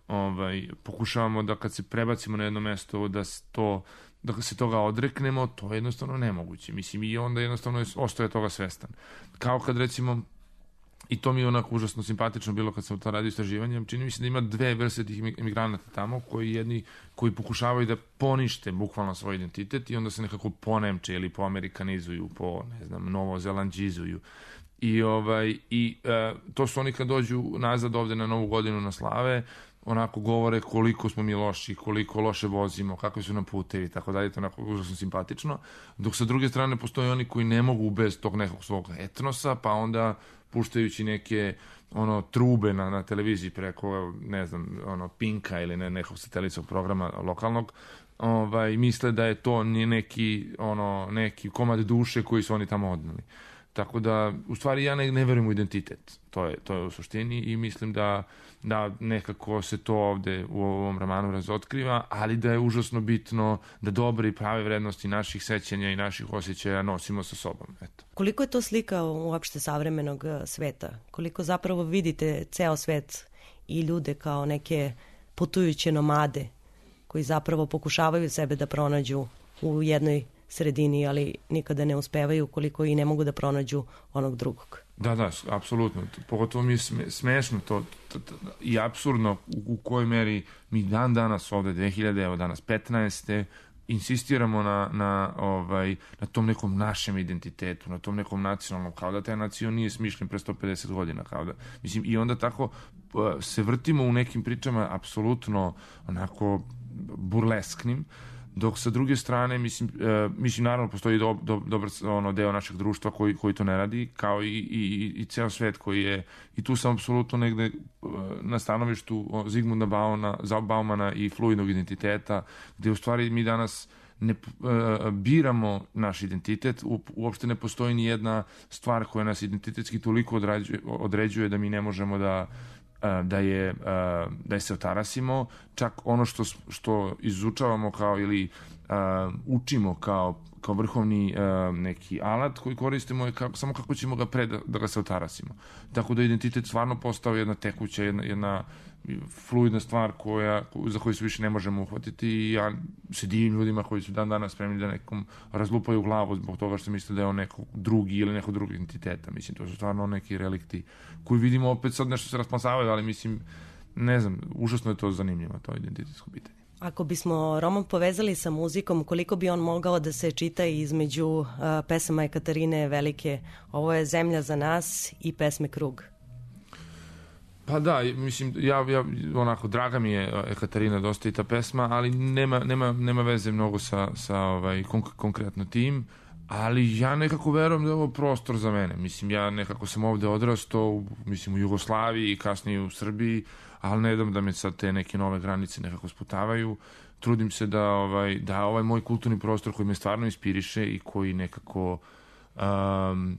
ovaj, pokušavamo da kad se prebacimo na jedno mesto da to da se toga odreknemo, to je jednostavno nemoguće. Mislim, i onda jednostavno ostaje toga svestan. Kao kad recimo, i to mi je onako užasno simpatično bilo kad sam to radio istraživanje, čini mi se da ima dve vrste tih emigranata tamo, koji jedni koji pokušavaju da ponište bukvalno svoj identitet i onda se nekako ponemče ili poamerikanizuju, po, ne znam, novozelandžizuju. I, ovaj, i e, to su oni kad dođu nazad ovde na Novu godinu na slave, onako govore koliko smo mi loši, koliko loše vozimo, kakvi su nam putevi, tako dalje, to je onako užasno simpatično. Dok sa druge strane postoje oni koji ne mogu bez tog nekog svog etnosa, pa onda puštajući neke ono trube na, na televiziji preko, ne znam, ono Pinka ili ne, nekog satelitskog programa lokalnog, ovaj, misle da je to neki, ono, neki komad duše koji su oni tamo odneli. Tako da, u stvari, ja ne, ne verujem u identitet. To je, to je u suštini i mislim da, da nekako se to ovde u ovom romanu razotkriva, ali da je užasno bitno da dobre i prave vrednosti naših sećanja i naših osjećaja nosimo sa sobom. Eto. Koliko je to slika uopšte savremenog sveta? Koliko zapravo vidite ceo svet i ljude kao neke putujuće nomade koji zapravo pokušavaju sebe da pronađu u jednoj sredini, ali nikada ne uspevaju, koliko i ne mogu da pronađu onog drugog. Da, da, apsolutno. Pogotovo mi je smešno to, to, to i apsurdno u, u kojoj meri mi dan danas ovde, dve hiljade, evo danas petnaeste insistiramo na, na, ovaj, na tom nekom našem identitetu, na tom nekom nacionalnom, kao da taj nacion nije smišljen pre sto pedeset godina, kao da, mislim, i onda tako se vrtimo u nekim pričama apsolutno onako burlesknim, dok sa druge strane, mislim, e, mislim naravno postoji do, do, dobar ono, deo našeg društva koji, koji to ne radi, kao i, i, i ceo svet koji je, i tu sam apsolutno negde e, na stanovištu Zigmunda Baumana, Baumana i fluidnog identiteta, gde u stvari mi danas ne e, biramo naš identitet, u, uopšte ne postoji ni jedna stvar koja nas identitetski toliko određuje, određuje da mi ne možemo da da je, da je se otarasimo, čak ono što, što izučavamo kao ili uh, učimo kao, kao vrhovni uh, neki alat koji koristimo je kako, samo kako ćemo ga pre da, da ga se otarasimo. Tako da identitet stvarno postao jedna tekuća, jedna, jedna fluidna stvar koja, za koju se više ne možemo uhvatiti i ja se divim ljudima koji su dan danas spremni da nekom razlupaju glavu zbog toga što misle da je on neko drugi ili neko drugi identiteta. Mislim, to su stvarno neki relikti koji vidimo opet sad nešto se rasplasavaju, ali mislim, ne znam, užasno je to zanimljivo, to identitetsko pitanje. Ako bismo roman povezali sa muzikom, koliko bi on mogao da se čita između uh, pesama Ekaterine Velike? Ovo je Zemlja za nas i pesme Krug. Pa da, mislim, ja, ja onako, draga mi je Ekaterina dosta i ta pesma, ali nema, nema, nema veze mnogo sa, sa ovaj, konk konkretno tim, ali ja nekako verujem da je ovo prostor za mene. Mislim, ja nekako sam ovde odrastao, mislim, u Jugoslaviji i kasnije u Srbiji, ali ne dam da me sad te neke nove granice nekako sputavaju. Trudim se da ovaj, da ovaj moj kulturni prostor koji me stvarno inspiriše i koji nekako um,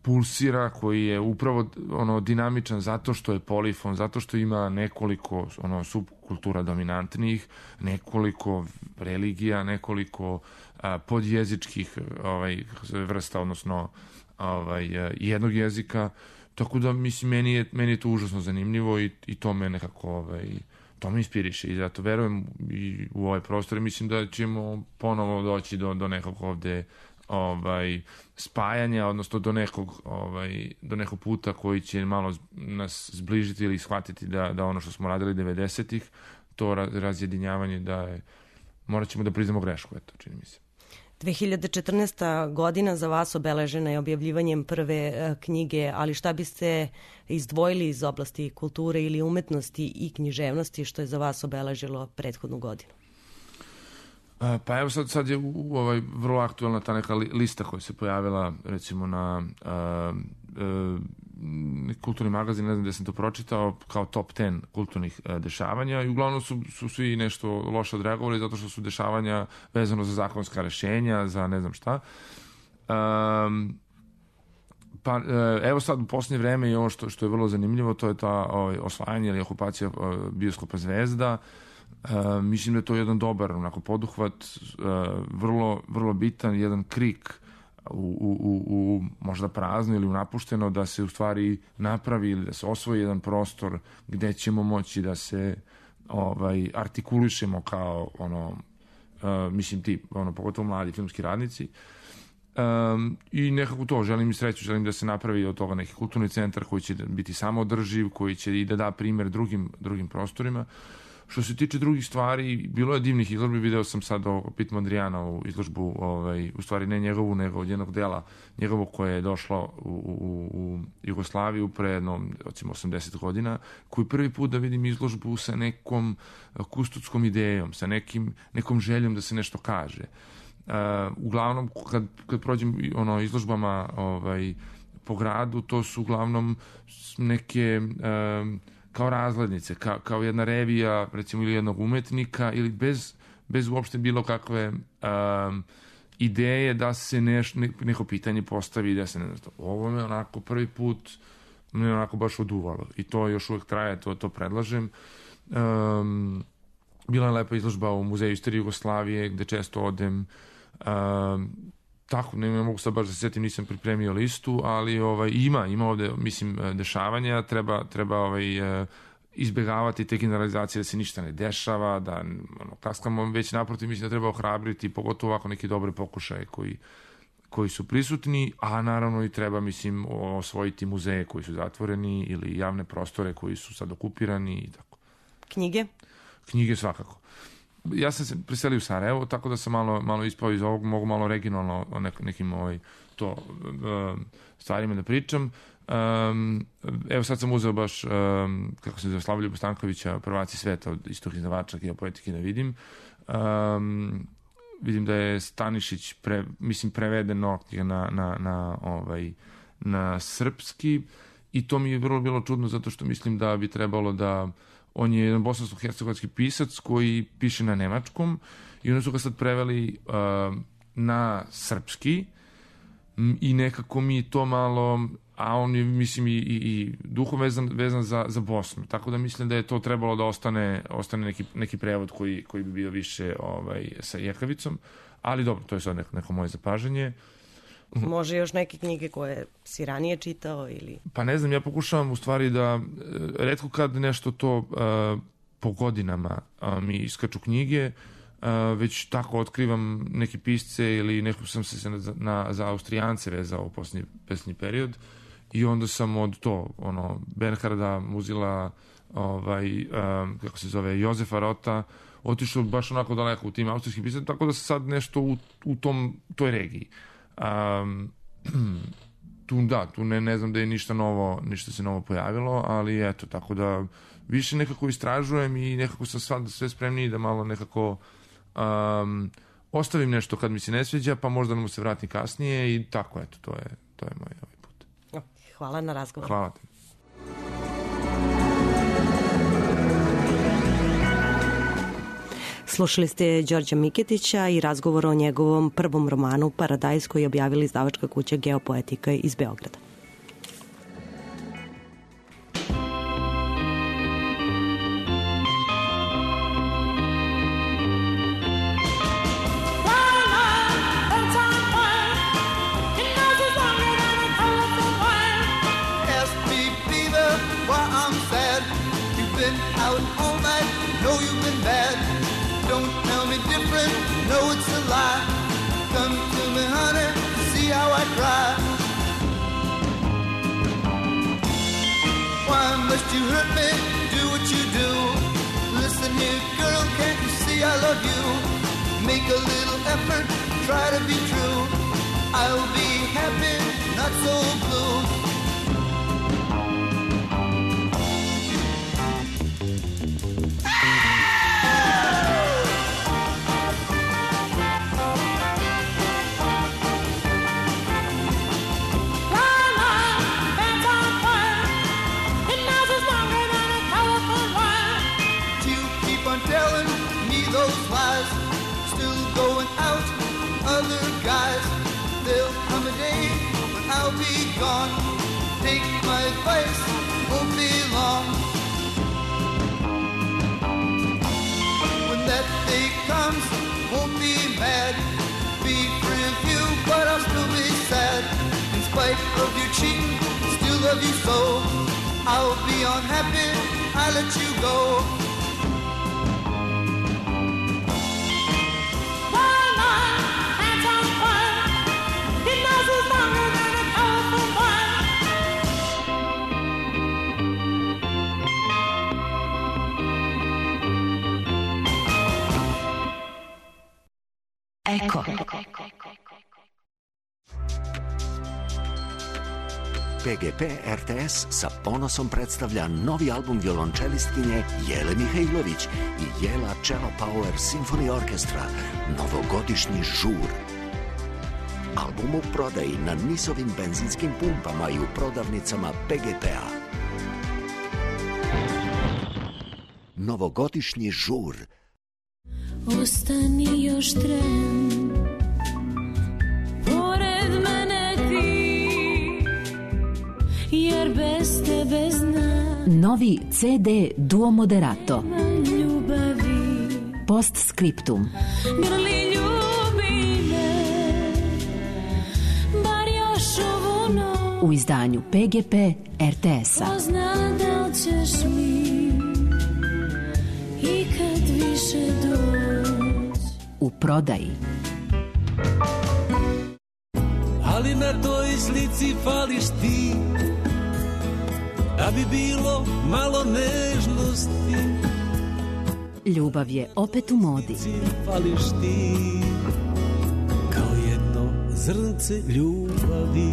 pulsira, koji je upravo ono dinamičan zato što je polifon, zato što ima nekoliko ono subkultura dominantnih, nekoliko religija, nekoliko a, podjezičkih ovaj vrsta, odnosno ovaj jednog jezika. Tako da mislim meni je meni je to užasno zanimljivo i i to me nekako ovaj to me inspiriše i zato verujem i u ovaj prostor i mislim da ćemo ponovo doći do do nekog ovde ovaj spajanja, odnosno do nekog ovaj do nekog puta koji će malo nas zbližiti ili shvatiti da da ono što smo radili devedesetih, to razjedinjavanje da je morat ćemo da priznamo grešku, eto, čini mi se. dve hiljade četrnaesta. godina za vas obeležena je objavljivanjem prve uh, knjige, ali šta biste izdvojili iz oblasti kulture ili umetnosti i književnosti što je za vas obeležilo prethodnu godinu? Pa evo sad, sad je u, u ovaj vrlo aktualna ta neka lista koja se pojavila recimo na uh, uh, kulturni magazin, ne znam gde sam to pročitao, kao top deset kulturnih uh, dešavanja i uglavnom su, su svi nešto loše odreagovali zato što su dešavanja vezano za zakonska rešenja, za ne znam šta. Um, pa evo sad u posljednje vreme i ovo što, što je vrlo zanimljivo, to je ta ovaj, osvajanje ili okupacija uh, bioskopa Zvezda. Uh, mislim da je to jedan dobar onako poduhvat, uh, vrlo, vrlo bitan, jedan krik u, u, u, u možda prazno ili u napušteno, da se u stvari napravi ili da se osvoji jedan prostor gde ćemo moći da se ovaj, artikulišemo kao ono, uh, mislim ti, ono, pogotovo mladi filmski radnici. Um, I nekako to, želim i sreću, želim da se napravi od toga neki kulturni centar koji će biti samoodrživ, koji će i da da primer drugim, drugim prostorima. Što se tiče drugih stvari, bilo je divnih izložbi, video sam sad o Pit Mondrianovu izložbu, ovaj, u stvari ne njegovu, nego od jednog dela njegovog koje je došlo u, u, u Jugoslaviju pre jedno, recimo, osamdeset godina, koji prvi put da vidim izložbu sa nekom kustotskom idejom, sa nekim, nekom željom da se nešto kaže. Uh, uglavnom, kad, kad prođem ono, izložbama ovaj, po gradu, to su uglavnom neke... Um, kao razglednice, kao, kao jedna revija, recimo, ili jednog umetnika, ili bez, bez uopšte bilo kakve um, ideje da se neš, ne, neko pitanje postavi, da se ne znam, ovo me onako prvi put me onako baš oduvalo. I to još uvek traje, to, to predlažem. Um, bila je lepa izložba u Muzeju istorije Jugoslavije, gde često odem. Um, tako, ne, ne mogu sad baš da se setim, nisam pripremio listu, ali ovaj, ima, ima ovde, mislim, dešavanja, treba, treba ovaj, izbegavati te generalizacije da se ništa ne dešava, da ono, kaskamo već naprotiv, mislim da treba ohrabriti, pogotovo ovako neki dobre pokušaje koji, koji su prisutni, a naravno i treba, mislim, osvojiti muzeje koji su zatvoreni ili javne prostore koji su sad okupirani i tako. Knjige? Knjige svakako. Ja sam se preselio u Sarajevo, tako da sam malo, malo ispao iz ovog, mogu malo regionalno o nek, nekim ovaj, to, uh, stvarima da pričam. Um, evo sad sam uzeo baš, um, kako se zove, Slavoljub Stankovića, Prvaci sveta od istog izdavača geopoetike da vidim. Um, vidim da je Stanišić, pre, mislim, prevedeno na, na, na, ovaj, na srpski i to mi je vrlo bilo čudno zato što mislim da bi trebalo da on je jedan bosansko-hercegovački pisac koji piše na nemačkom i onda su ga sad preveli uh, na srpski i nekako mi to malo, a on je, mislim, i, i, i duhom vezan, vezan za, za Bosnu, tako da mislim da je to trebalo da ostane, ostane neki, neki prevod koji, koji bi bio više ovaj, sa jekavicom, ali dobro, to je sad neko, neko moje zapažanje. Može još neke knjige koje si ranije čitao ili... Pa ne znam, ja pokušavam u stvari da retko kad nešto to uh, po godinama uh, mi iskaču knjige, uh, već tako otkrivam neke pisce ili neko sam se na, na, za Austrijance vezao u posljednji, posljednji period i onda sam od to, ono, Bernharda, Muzila, ovaj, um, kako se zove, Jozefa Rota, otišao baš onako daleko u tim austrijskim pisama, tako da se sad nešto u, u tom, toj regiji. Um, tu da, tu ne, ne znam da je ništa novo, ništa se novo pojavilo, ali eto, tako da više nekako istražujem i nekako sam sad sve spremniji da malo nekako um, ostavim nešto kad mi se ne sviđa, pa možda mu se vratim kasnije i tako, eto, to je, to je moj ovaj put. Hvala na razgovor. Hvala ti. Slušali ste Đorđa Miketića i razgovor o njegovom prvom romanu Paradajz koji je objavila izdavačka kuća Geopoetika iz Beograda. No, it's a lie. Come to me, honey, see how I cry. Why must you hurt me? Do what you do. Listen here, girl, can't you see I love you? Make a little effort, try to be true. I'll be happy, not so blue. Gone. Take my advice, won't be long. When that day comes, won't be mad. Be free of you, but I'll still be sad. In spite of your cheating, still love you so. I'll be unhappy, I let you go. P G P R T S sa ponosom predstavlja novi album violončelistkinje Jele Mihajlović i Jela Cello Power Symphony Orchestra, novogodišnji žur. Album u prodaji na Nisovim benzinskim pumpama i u prodavnicama P G P-a. Novogodišnji žur. Ostani još tren, pored mene ti, jer bez tebe znam. Novi C D Duo Moderato. Ljubavi. Postscriptum. Grli ljubi me, bar još ovu noć. U izdanju P G P R T S-a. Ko zna da li ćeš mi ikad više doć. U prodaji. Ali na toj slici fališ ti, da bi bilo malo nežnosti. Ljubav je opet u modi. Fališ ti, kao jedno zrnce ljubavi.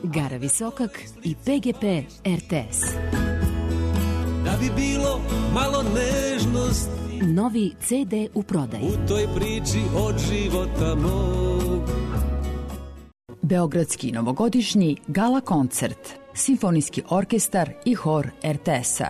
Gara Visokak i P G P R T S. Da bi bilo malo nežnosti. Novi C D u prodaji. U toj priči od života mog. Beogradski novogodišnji gala koncert, simfonijski orkestar i hor R T S-a.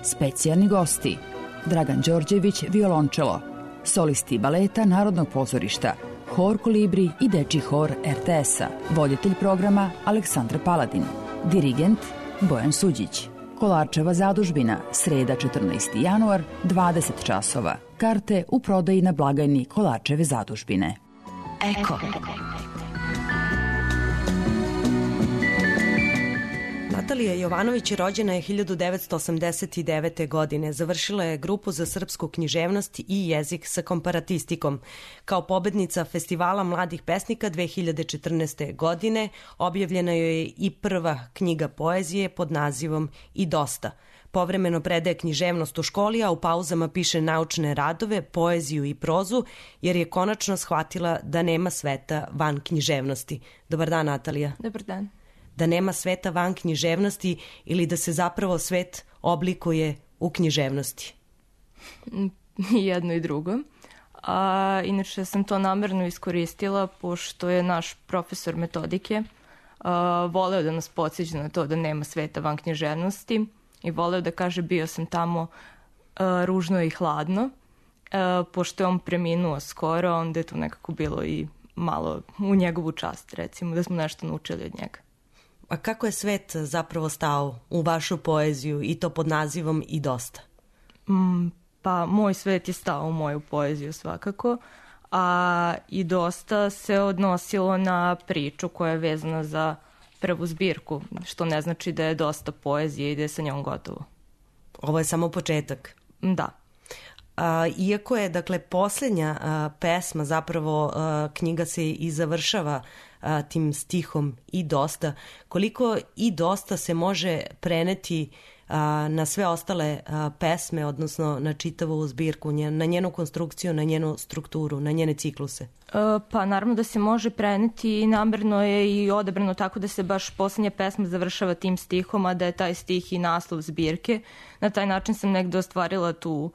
Specijalni gosti: Dragan Đorđević, violončelo, solisti baleta Narodnog pozorišta, hor Kolibri i dečji hor R T S-a, voditelj programa Aleksandar Paladin, dirigent Bojan Suđić. Kolarčeva zadužbina, sreda četrnaesti januar, dvadeset časova. Karte u prodaji na blagajni Kolarčeve zadužbine. Eko. Natalija Jovanović rođena je hiljadu devetsto osamdeset devete. godine. Završila je grupu za srpsku književnost i jezik sa komparatistikom. Kao pobednica Festivala mladih pesnika dve hiljade četrnaeste. godine objavljena joj je i prva knjiga poezije pod nazivom I dosta. Povremeno predaje književnost u školi, a u pauzama piše naučne radove, poeziju i prozu, jer je konačno shvatila da nema sveta van književnosti. Dobar dan, Natalija. Dobar dan. Da nema sveta van književnosti ili da se zapravo svet oblikuje u književnosti? Jedno i drugo. A, inače sam to namerno iskoristila pošto je naš profesor metodike a, voleo da nas podsjeća na to da nema sveta van književnosti i voleo da kaže bio sam tamo a, ružno i hladno. A, pošto je on preminuo skoro, onda je to nekako bilo i malo u njegovu čast, recimo, da smo nešto naučili od njega. A kako je svet zapravo stao u vašu poeziju i to pod nazivom I dosta? Mm, pa moj svet je stao u moju poeziju svakako, a I dosta se odnosilo na priču koja je vezana za prvu zbirku, što ne znači da je dosta poezije i da je sa njom gotovo. Ovo je samo početak. Da. A, iako je, dakle, posljednja a, pesma, zapravo a, knjiga se i završava a, tim stihom I dosta, koliko I dosta se može preneti a, na sve ostale a, pesme, odnosno na čitavu zbirku, nje, na njenu konstrukciju, na njenu strukturu, na njene cikluse? E, pa naravno da se može preneti i namerno je i odabrano tako da se baš posljednja pesma završava tim stihom, a da je taj stih i naslov zbirke. Na taj način sam negde ostvarila tu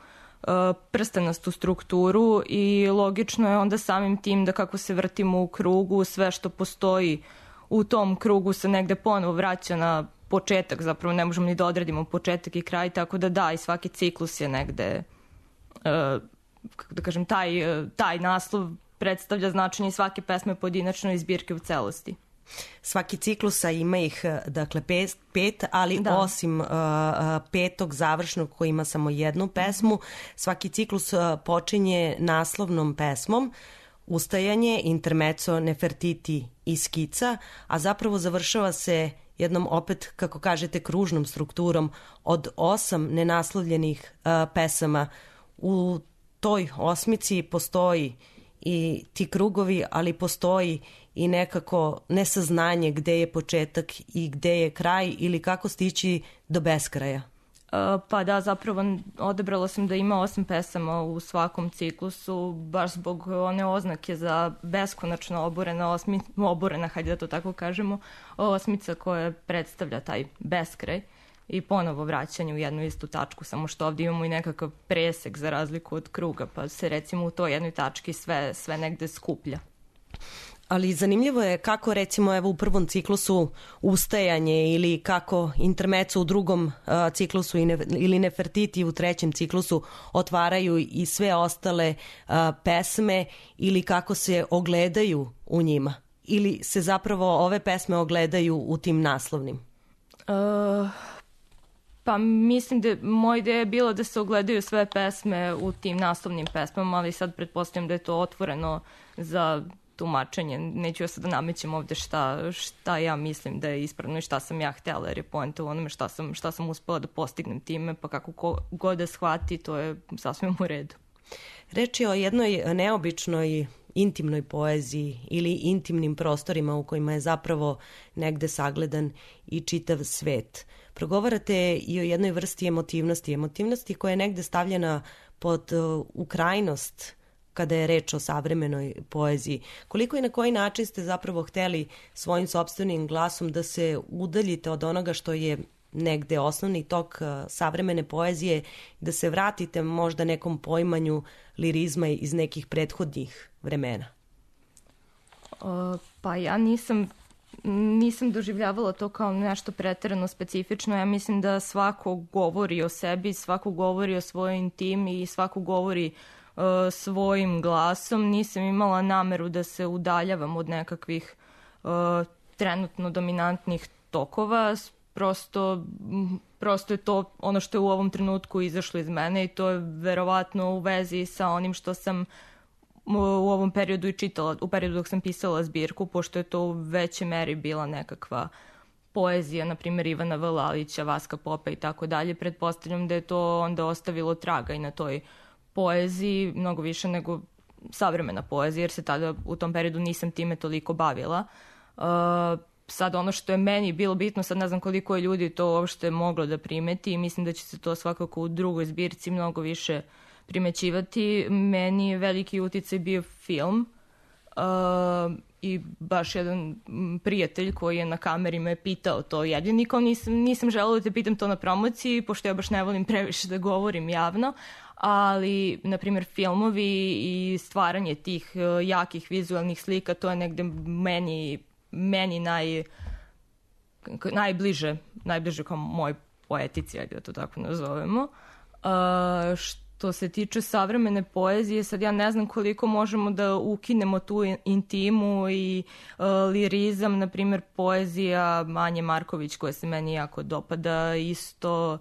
prstenastu strukturu i logično je onda samim tim da kako se vrtimo u krugu, sve što postoji u tom krugu se negde ponovo vraća na početak, zapravo ne možemo ni da odredimo početak i kraj, tako da da, i svaki ciklus je negde, kako da kažem, taj, taj naslov predstavlja značenje svake pesme pojedinačno i zbirke u celosti. Svaki ciklusa ima ih, dakle, pet, pet ali da. osim uh, petog završnog koji ima samo jednu pesmu, svaki ciklus uh, počinje naslovnom pesmom, ustajanje, intermezzo, nefertiti i skica, a zapravo završava se jednom opet, kako kažete, kružnom strukturom od osam nenaslovljenih uh, pesama. U toj osmici postoji i ti krugovi, ali postoji i nekako nesaznanje gde je početak i gde je kraj ili kako stići do beskraja. Pa da, zapravo odabrala sam da ima osam pesama u svakom ciklusu, baš zbog one oznake za beskonačno oborena, osmi, oborena, hajde da to tako kažemo, osmica koja predstavlja taj beskraj i ponovo vraćanje u jednu istu tačku, samo što ovdje imamo i nekakav presek za razliku od kruga, pa se recimo u toj jednoj tački sve, sve negde skuplja. Ali zanimljivo je kako recimo evo u prvom ciklusu ustajanje ili kako intermeco u drugom uh, ciklusu i ne, ili Nefertiti u trećem ciklusu otvaraju i sve ostale uh, pesme ili kako se ogledaju u njima ili se zapravo ove pesme ogledaju u tim naslovnim? Uh, pa mislim da moja ideja je bila da se ogledaju sve pesme u tim naslovnim pesmama, ali sad pretpostavljam da je to otvoreno za tumačenje. Neću ja sad da namećem ovde šta, šta ja mislim da je ispravno i šta sam ja htjela, jer je poenta u onome šta sam, šta sam uspela da postignem time, pa kako ko, god da shvati, to je sasvim u redu. Reč je o jednoj neobičnoj intimnoj poeziji ili intimnim prostorima u kojima je zapravo negde sagledan i čitav svet. Progovarate i o jednoj vrsti emotivnosti, emotivnosti koja je negde stavljena pod uh, u krajnost kada je reč o savremenoj poeziji. Koliko i na koji način ste zapravo hteli svojim sopstvenim glasom da se udaljite od onoga što je negde osnovni tok savremene poezije, da se vratite možda nekom poimanju lirizma iz nekih prethodnih vremena? O, pa ja nisam nisam doživljavala to kao nešto preterano specifično. Ja mislim da svako govori o sebi, svako govori o svojoj intimi i svako govori uh, svojim glasom. Nisam imala nameru da se udaljavam od nekakvih uh, trenutno dominantnih tokova. Prosto, prosto je to ono što je u ovom trenutku izašlo iz mene i to je verovatno u vezi sa onim što sam u ovom periodu i čitala, u periodu dok sam pisala zbirku, pošto je to u većoj meri bila nekakva poezija, na primjer Ivana Vlalića, Vaska Popa i tako dalje. Pretpostavljam da je to onda ostavilo traga i na toj poeziji, mnogo više nego savremena poezija, jer se tada u tom periodu nisam time toliko bavila. Uh, sad ono što je meni bilo bitno, sad ne znam koliko je ljudi to uopšte moglo da primeti i mislim da će se to svakako u drugoj zbirci mnogo više primećivati. Meni je veliki uticaj bio film uh, i baš jedan prijatelj koji je na kameri me pitao to jedini, kao nisam, nisam želela da te pitam to na promociji, pošto ja baš ne volim previše da govorim javno, ali, na primjer, filmovi i stvaranje tih uh, jakih vizualnih slika, to je negde meni, meni naj, najbliže, najbliže kao moj poetici, ajde da to tako nazovemo. Uh, što se tiče savremene poezije, sad ja ne znam koliko možemo da ukinemo tu intimu i uh, lirizam, na primjer poezija Anje Marković koja se meni jako dopada, isto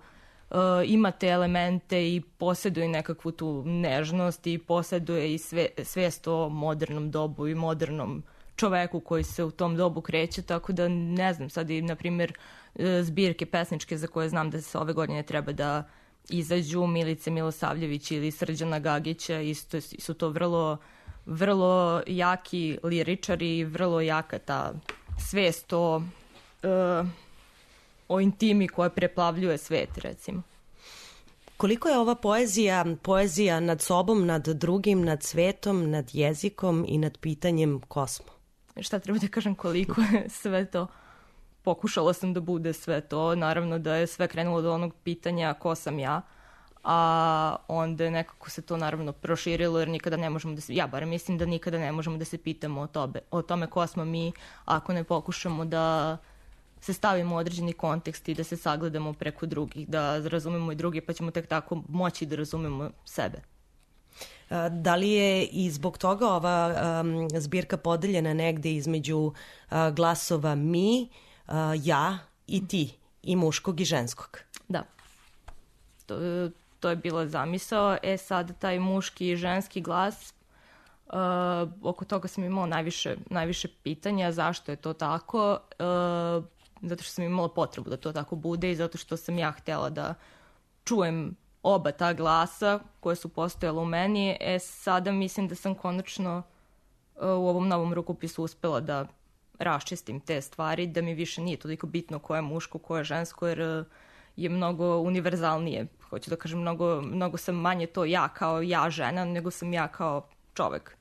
uh, ima te elemente i posjeduje nekakvu tu nežnost i posjeduje i sve, svijest o modernom dobu i modernom čoveku koji se u tom dobu kreće, tako da ne znam, sad i na primjer zbirke pesničke za koje znam da se ove godine treba da izađu, Milice Milosavljević ili Srđana Gagića, isto su to vrlo, vrlo jaki liričari i vrlo jaka ta svest o, uh, o intimi koja preplavljuje svet, recimo. Koliko je ova poezija, poezija nad sobom, nad drugim, nad svetom, nad jezikom i nad pitanjem ko smo? Šta treba da kažem koliko je sve to? Pokušala sam da bude sve to. Naravno da je sve krenulo do onog pitanja ko sam ja, a onda nekako se to naravno proširilo jer nikada ne možemo da se, ja bar mislim da nikada ne možemo da se pitamo o, tobe, o tome ko smo mi ako ne pokušamo da se stavimo u određeni kontekst i da se sagledamo preko drugih, da razumemo i drugi pa ćemo tek tako moći da razumemo sebe. Da li je i zbog toga ova um, zbirka podeljena negde između uh, glasova mi, uh, ja i ti, i muškog i ženskog? Da. To, to je bila zamisao. E sad, taj muški i ženski glas, uh, oko toga sam imala najviše, najviše pitanja. Zašto je to tako? Uh, zato što sam imala potrebu da to tako bude i zato što sam ja htjela da čujem oba ta glasa koje su postojala u meni. E sada mislim da sam konačno uh, u ovom novom rukopisu uspela da raščistim te stvari, da mi više nije toliko bitno ko je muško, ko je žensko, jer uh, je mnogo univerzalnije. Hoću da kažem, mnogo, mnogo sam manje to ja kao ja žena, nego sam ja kao čovek.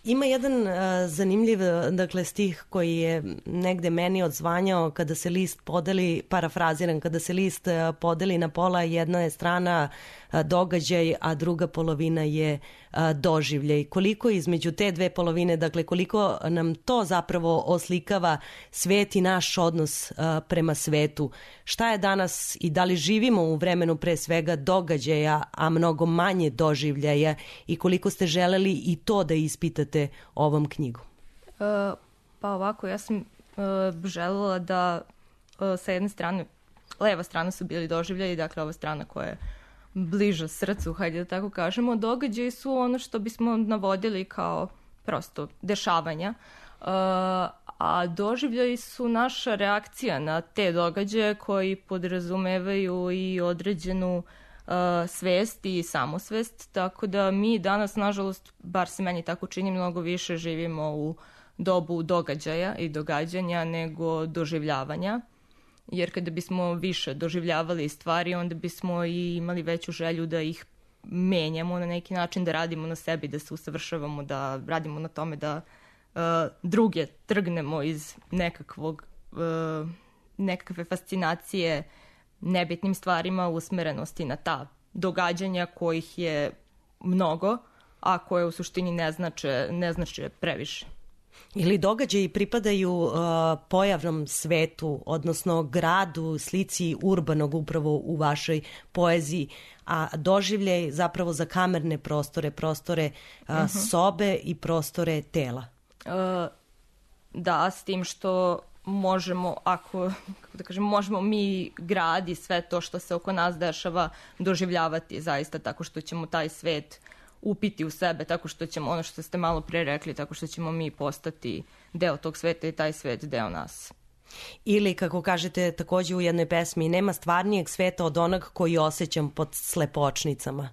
Ima jedan uh, zanimljiv, dakle, stih koji je negde meni odzvanjao kada se list podeli, parafraziran, kada se list uh, podeli na pola, jedna je strana uh, događaj, a druga polovina je uh, doživljaj. Koliko između te dve polovine, dakle, koliko nam to zapravo oslikava svet i naš odnos uh, prema svetu? Šta je danas i da li živimo u vremenu pre svega događaja, a mnogo manje doživljaja, i koliko ste želeli i to da ispitate ovom knjigu? Uh, pa ovako, ja sam uh, želela da uh, sa jedne strane, leva strana su bili doživljaji, dakle ova strana koja je bliža srcu, hajde da tako kažemo, događaji su ono što bismo navodili kao prosto dešavanja, uh, a doživljaji su naša reakcija na te događaje koji podrazumevaju i određenu uh, svest i samosvest, tako da mi danas, nažalost, bar se meni tako čini, mnogo više živimo u dobu događaja i događanja nego doživljavanja, jer kada bismo više doživljavali stvari, onda bismo i imali veću želju da ih menjamo na neki način, da radimo na sebi, da se usavršavamo, da radimo na tome da uh, druge trgnemo iz nekakvog, uh, nekakve fascinacije nebitnim stvarima, usmerenosti na ta događanja kojih je mnogo, a koje u suštini ne znače, ne znače previše. Ili događaji pripadaju uh, pojavnom svetu, odnosno gradu, slici urbanog upravo u vašoj poeziji, a doživljaj zapravo za kamerne prostore, prostore uh, uh-huh. sobe i prostore tela. Uh, da, s tim što možemo, ako, kako da kažem, možemo mi grad i sve to što se oko nas dešava doživljavati zaista tako što ćemo taj svet upiti u sebe, tako što ćemo, ono što ste malo pre rekli, tako što ćemo mi postati deo tog sveta i taj svet deo nas. Ili, kako kažete takođe u jednoj pesmi, nema stvarnijeg sveta od onog koji osjećam pod slepočnicama.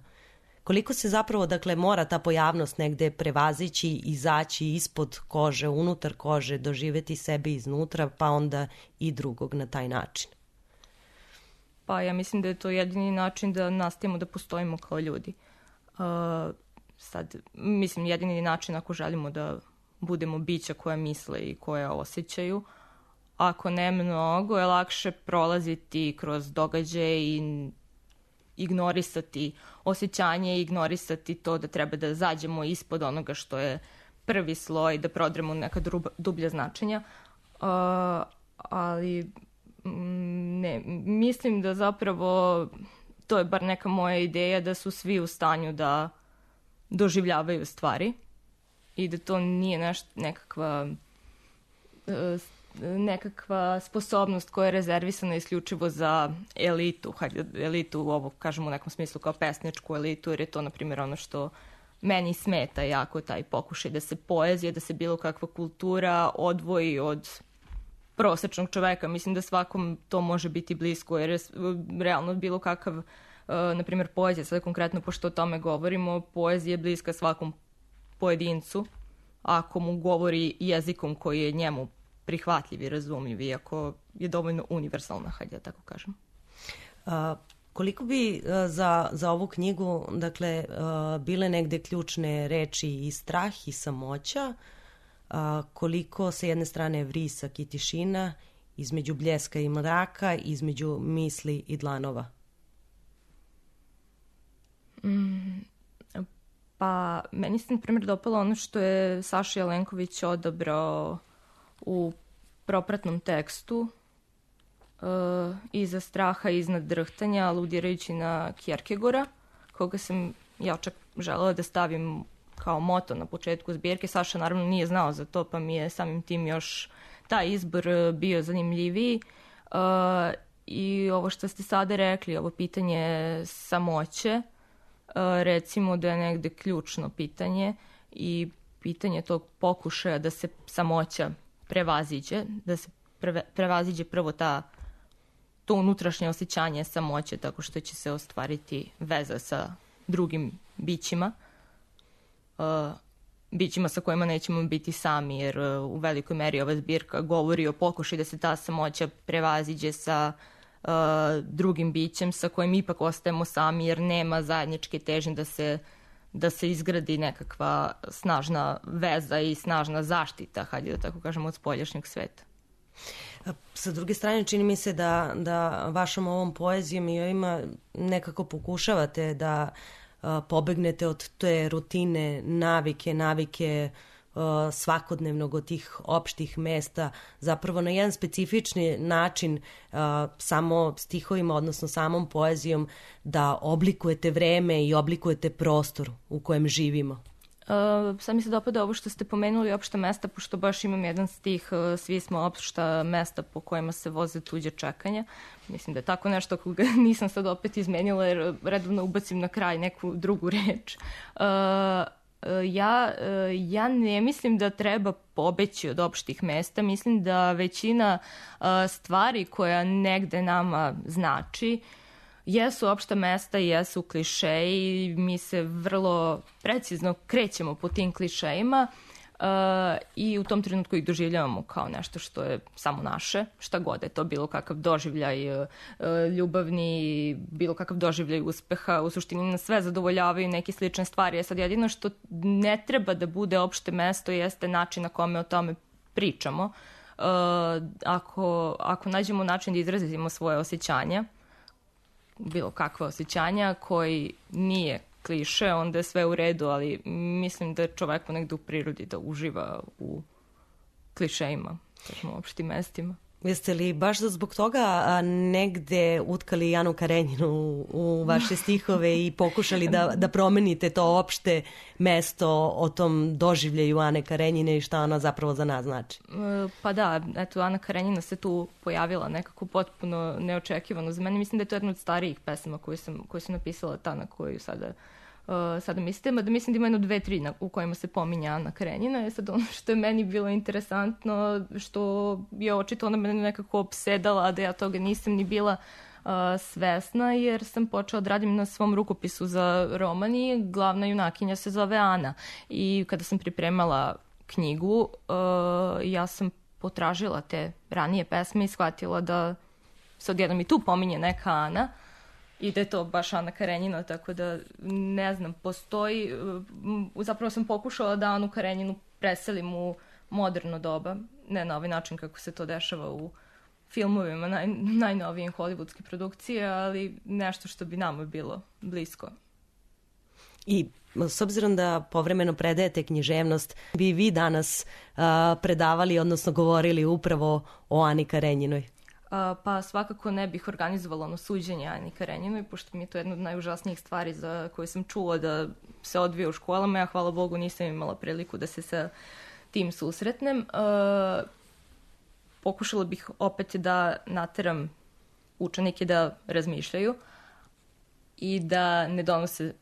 Koliko se zapravo, dakle, mora ta pojavnost negde prevazići, izaći ispod kože, unutar kože, doživeti sebe iznutra, pa onda i drugog na taj način? Pa ja mislim da je to jedini način da nastavimo da postojimo kao ljudi. Uh, sad, mislim, jedini način ako želimo da budemo bića koja misle i koja osjećaju. Ako ne mnogo, je lakše prolaziti kroz događaje i ignorisati osjećanje i ignorisati to da treba da zađemo ispod onoga što je prvi sloj, da prodremo neka druba, dublja značenja. Uh, ali ne, mislim da zapravo to je bar neka moja ideja da su svi u stanju da doživljavaju stvari i da to nije nešto, nekakva nekakva sposobnost koja je rezervisana isključivo za elitu, hajde, elitu ovo kažemo u nekom smislu kao pesničku elitu, jer je to, na primjer, ono što meni smeta jako, taj pokušaj da se poezija, da se bilo kakva kultura odvoji od prosečnog čoveka. Mislim da svakom to može biti blisko, jer je realno bilo kakav, uh, na primjer, poezija, sad konkretno pošto o tome govorimo, poezija je bliska svakom pojedincu, ako mu govori jezikom koji je njemu prihvatljiv i razumljiv, iako je dovoljno universalna, hajde da tako kažem. Uh, koliko bi uh, za, za ovu knjigu, dakle, uh, bile negde ključne reči i strah i samoća, uh, koliko sa jedne strane vrisak i tišina, između bljeska i mraka, između misli i dlanova? Mm, pa, meni se, na primjer, dopalo ono što je Saša Jelenković odabrao u propratnom tekstu, uh, iza straha i iznad drhtanja, aludirajući na Kjerkegora, koga sam ja čak želela da stavim kao moto na početku zbirke. Saša naravno nije znao za to, pa mi je samim tim još taj izbor bio zanimljiviji. Uh, I ovo što ste sada rekli, ovo pitanje samoće, uh, recimo da je negde ključno pitanje i pitanje tog pokušaja da se samoća prevaziđe, da se preve, prevaziđe prvo ta, to unutrašnje osjećanje samoće tako što će se ostvariti veza sa drugim bićima, uh, bićima sa kojima nećemo biti sami, jer uh, u velikoj meri ova zbirka govori o pokušaju da se ta samoća prevaziđe sa uh, drugim bićem sa kojim ipak ostajemo sami jer nema zajedničke težnje da se da se izgradi nekakva snažna veza i snažna zaštita, hajde da tako kažemo, od spoljašnjeg sveta. Sa druge strane, čini mi se da, da vašom ovom poezijom i ovima nekako pokušavate da a, pobegnete od te rutine, navike, navike a, svakodnevnog od tih opštih mesta, zapravo na jedan specifični način a, samo stihovima, odnosno samom poezijom, da oblikujete vreme i oblikujete prostor u kojem živimo. Uh, sad mi se dopada ovo što ste pomenuli, opšta mesta, pošto baš imam jedan stih, uh, svi smo opšta mesta po kojima se voze tuđe čekanja. Mislim da je tako nešto koga nisam sad opet izmenila jer redovno ubacim na kraj neku drugu reč. Uh, ja, uh, ja ne mislim da treba pobeći od opštih mesta, mislim da većina uh, stvari koja negde nama znači jesu opšta mesta i jesu klišeji, mi se vrlo precizno krećemo po tim klišejima uh, i u tom trenutku ih doživljavamo kao nešto što je samo naše, šta god je to, bilo kakav doživljaj uh, ljubavni, bilo kakav doživljaj uspeha, u suštini nas sve zadovoljavaju neke slične stvari. Je sad jedino što ne treba da bude opšte mesto jeste način na kome o tome pričamo. Uh, ako, ako nađemo način da izrazimo svoje osjećanja, bilo kakva osjećanja koji nije kliše, onda je sve u redu, ali mislim da je čovek ponegde u prirodi da uživa u klišejima, kažemo, opštim mestima. Jeste li baš zbog toga negde utkali Anu Karenjinu u vaše stihove i pokušali da, da promenite to opšte mesto o tom doživljaju Ane Karenjine i šta ona zapravo za nas znači? Pa da, eto, Ana Karenjina se tu pojavila nekako potpuno neočekivano za mene. Mislim da je to jedna od starijih pesama koju sam, koju sam napisala, ta na koju sada Uh, sada mislite, mada mislim da ima jedno dve, tri na, u kojima se pominja Ana Karenjina. Sad ono što je meni bilo interesantno, što je očito ona mene nekako opsedala, a da ja toga nisam ni bila uh, svesna, jer sam počela da radim na svom rukopisu za roman i glavna junakinja se zove Ana. I kada sam pripremala knjigu, uh, ja sam potražila te ranije pesme i shvatila da se odjednom i tu pominje neka Ana, i da je to baš Ana Karenjina, tako da ne znam, postoji, zapravo sam pokušala da Anu Karenjinu preselim u moderno doba, ne na ovaj način kako se to dešava u filmovima naj, najnovijim hollywoodske produkcije, ali nešto što bi nama bilo blisko. I s obzirom da povremeno predajete književnost, bi vi danas a, predavali, odnosno govorili upravo o Ani Karenjinoj? Pa svakako ne bih organizovala ono suđenje Ani Karenjinoj, pošto mi je to jedna od najužasnijih stvari za koje sam čula da se odvija u školama. Ja, hvala Bogu, nisam imala priliku da se sa tim susretnem. E, pokušala bih opet da nateram učenike da razmišljaju i da ne donose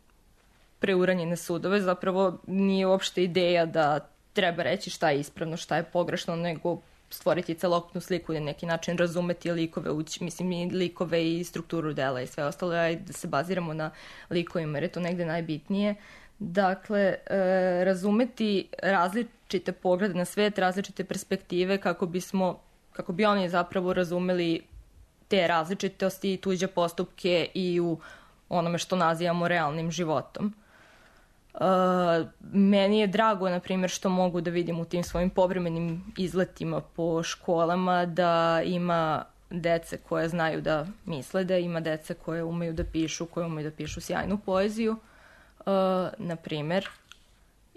preuranjene sudove. Zapravo nije uopšte ideja da treba reći šta je ispravno, šta je pogrešno, nego stvoriti celokupnu sliku i na neki način razumeti likove, ući, mislim i likove i strukturu dela i sve ostalo, a da se baziramo na likovima, jer je to negde najbitnije. Dakle, e, razumeti različite poglede na svet, različite perspektive kako bismo, kako bi oni zapravo razumeli te različitosti i tuđe postupke i u onome što nazivamo realnim životom. Uh, meni je drago, na primjer, što mogu da vidim u tim svojim povremenim izletima po školama da ima dece koje znaju da misle, da ima dece koje umeju da pišu, koje umeju da pišu sjajnu poeziju, uh, na primjer,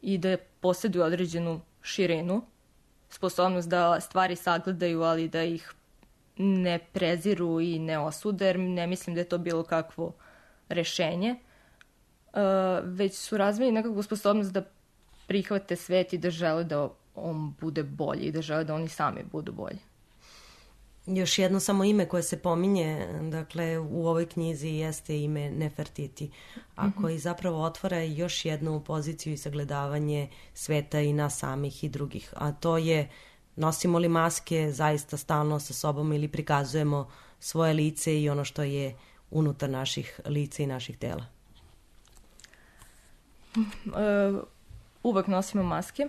i da posjeduju određenu širinu, sposobnost da stvari sagledaju, ali da ih ne preziru i ne osude, jer ne mislim da je to bilo kakvo rešenje. Uh, već su razvili nekakvu sposobnost da prihvate svet i da žele da on bude bolji i da žele da oni sami budu bolji. Još jedno samo ime koje se pominje, dakle, u ovoj knjizi jeste ime Nefertiti, a mm-hmm. koji zapravo otvara još jednu poziciju i sagledavanje sveta i nas samih i drugih, a to je nosimo li maske zaista stalno sa sobom ili prikazujemo svoje lice i ono što je unutar naših lica i naših tela. Uh, uvek nosimo maske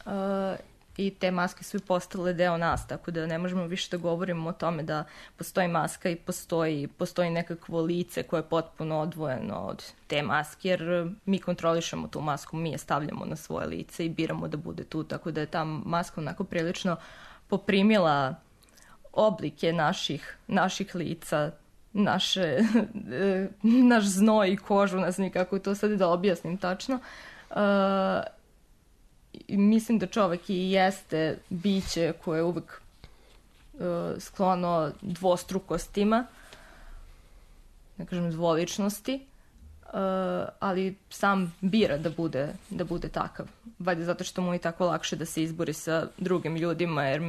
uh, i te maske su i postale deo nas, tako da ne možemo više da govorimo o tome da postoji maska i postoji, postoji nekakvo lice koje je potpuno odvojeno od te maske, jer mi kontrolišemo tu masku, mi je stavljamo na svoje lice i biramo da bude tu, tako da je ta maska onako prilično poprimila oblike naših, naših lica, naše, naš znoj i kožu, ne znam kako to sad da objasnim tačno. Uh, mislim da čovek i jeste biće koje je uvek uh, sklono dvostrukostima, ne kažem dvoličnosti, uh, ali sam bira da bude, da bude takav. Valjda zato što mu je tako lakše da se izbori sa drugim ljudima, jer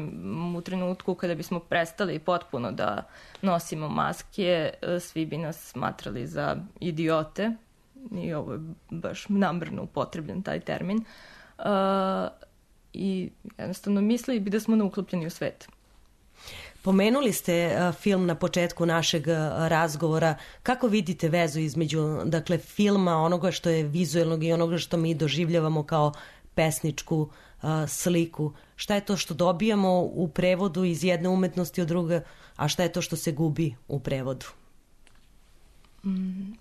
u trenutku kada bismo prestali potpuno da nosimo maske, svi bi nas smatrali za idiote, i ovo je baš namerno upotrebljen taj termin, uh, i jednostavno mislili bi da smo neuklopljeni u svet. Pomenuli ste uh, film na početku našeg uh, razgovora. Kako vidite vezu između, dakle, filma, onoga što je vizuelnog i onoga što mi doživljavamo kao pesničku uh, sliku? Šta je to što dobijamo u prevodu iz jedne umetnosti od druge, a šta je to što se gubi u prevodu? Mm.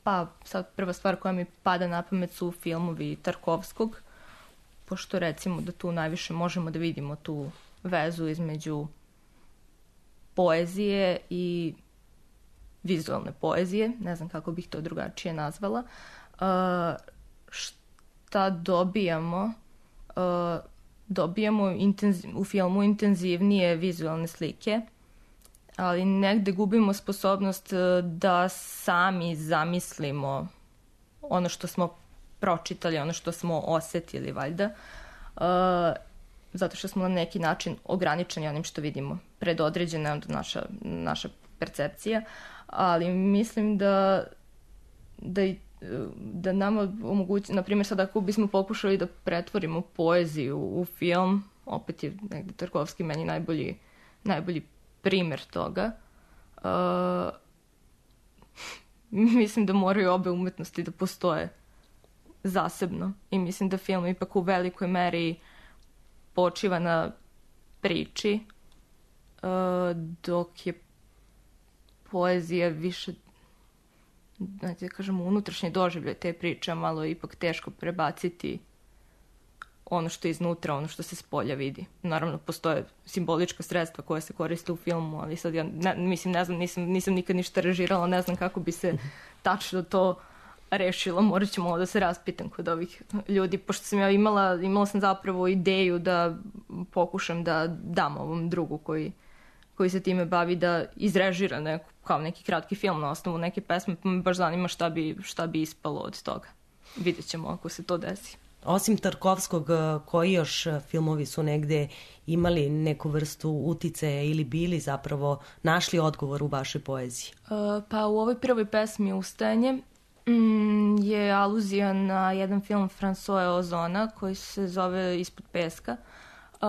Pa sad prva stvar koja mi pada na pamet su filmovi Tarkovskog, pošto recimo da tu najviše možemo da vidimo tu vezu između poezije i vizualne poezije, ne znam kako bih to drugačije nazvala. Uh, šta dobijamo? Uh, dobijamo intenziv, u filmu intenzivnije vizualne slike, ali negde gubimo sposobnost da sami zamislimo ono što smo pročitali, ono što smo osetili, valjda. Uh, zato što smo na neki način ograničeni onim što vidimo. Predodređena je naša, naša percepcija, ali mislim da, da, da nama omogući, na primjer sad ako bismo pokušali da pretvorimo poeziju u film, opet je negde Tarkovski meni najbolji, najbolji primer toga. Uh, mislim da moraju obe umetnosti da postoje zasebno i mislim da film ipak u velikoj meri počiva na priči, uh, dok je poezija više, znači da kažemo, unutrašnji doživljaj te priče, malo je ipak teško prebaciti ono što je iznutra, ono što se s polja vidi. Naravno, postoje simbolička sredstva koja se koriste u filmu, ali sad ja, ne, mislim, ne znam, nisam, nisam nikad ništa režirala, ne znam kako bi se tačno to rešilo. Morat ću malo da se raspitam kod ovih ljudi, pošto sam ja imala, imala sam zapravo ideju da pokušam da dam ovom drugu koji, koji se time bavi da izrežira neku, kao neki kratki film na osnovu neke pesme, pa me baš zanima šta bi, šta bi ispalo od toga. Vidjet ćemo ako se to desi. Osim Tarkovskog, koji još filmovi su negde imali neku vrstu uticaja ili bili zapravo našli odgovor u vašoj poeziji? Uh, pa u ovoj prvoj pesmi Ustajanje mm, je aluzija na jedan film François Ozona koji se zove Ispod peska. Uh,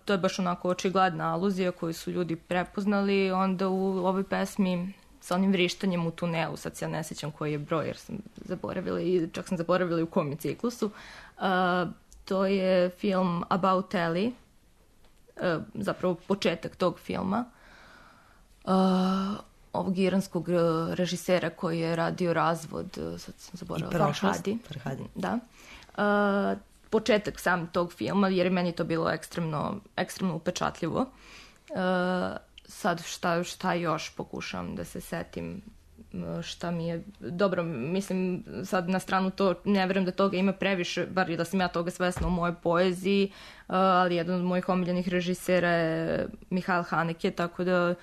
to je baš onako očigledna aluzija koju su ljudi prepoznali. Onda u ovoj pesmi sa onim vrištanjem u tunelu, sad se ja ne sjećam koji je broj jer sam zaboravila i čak sam zaboravila i u kom je ciklusu. Uh, to je film About Ellie, uh, zapravo početak tog filma. Uh, ovog iranskog režisera koji je radio Razvod, sad sam zaboravila, Farhadi. Farhadi. Da. Uh, početak sam tog filma, jer je meni to bilo ekstremno, ekstremno upečatljivo. Uh, sad šta, šta još pokušam da se setim, šta mi je dobro, mislim sad na stranu to, ne verujem da toga ima previše, bar da sam ja toga svesna u mojoj poeziji, ali jedan od mojih omiljenih režisera je Mihail Haneke, tako da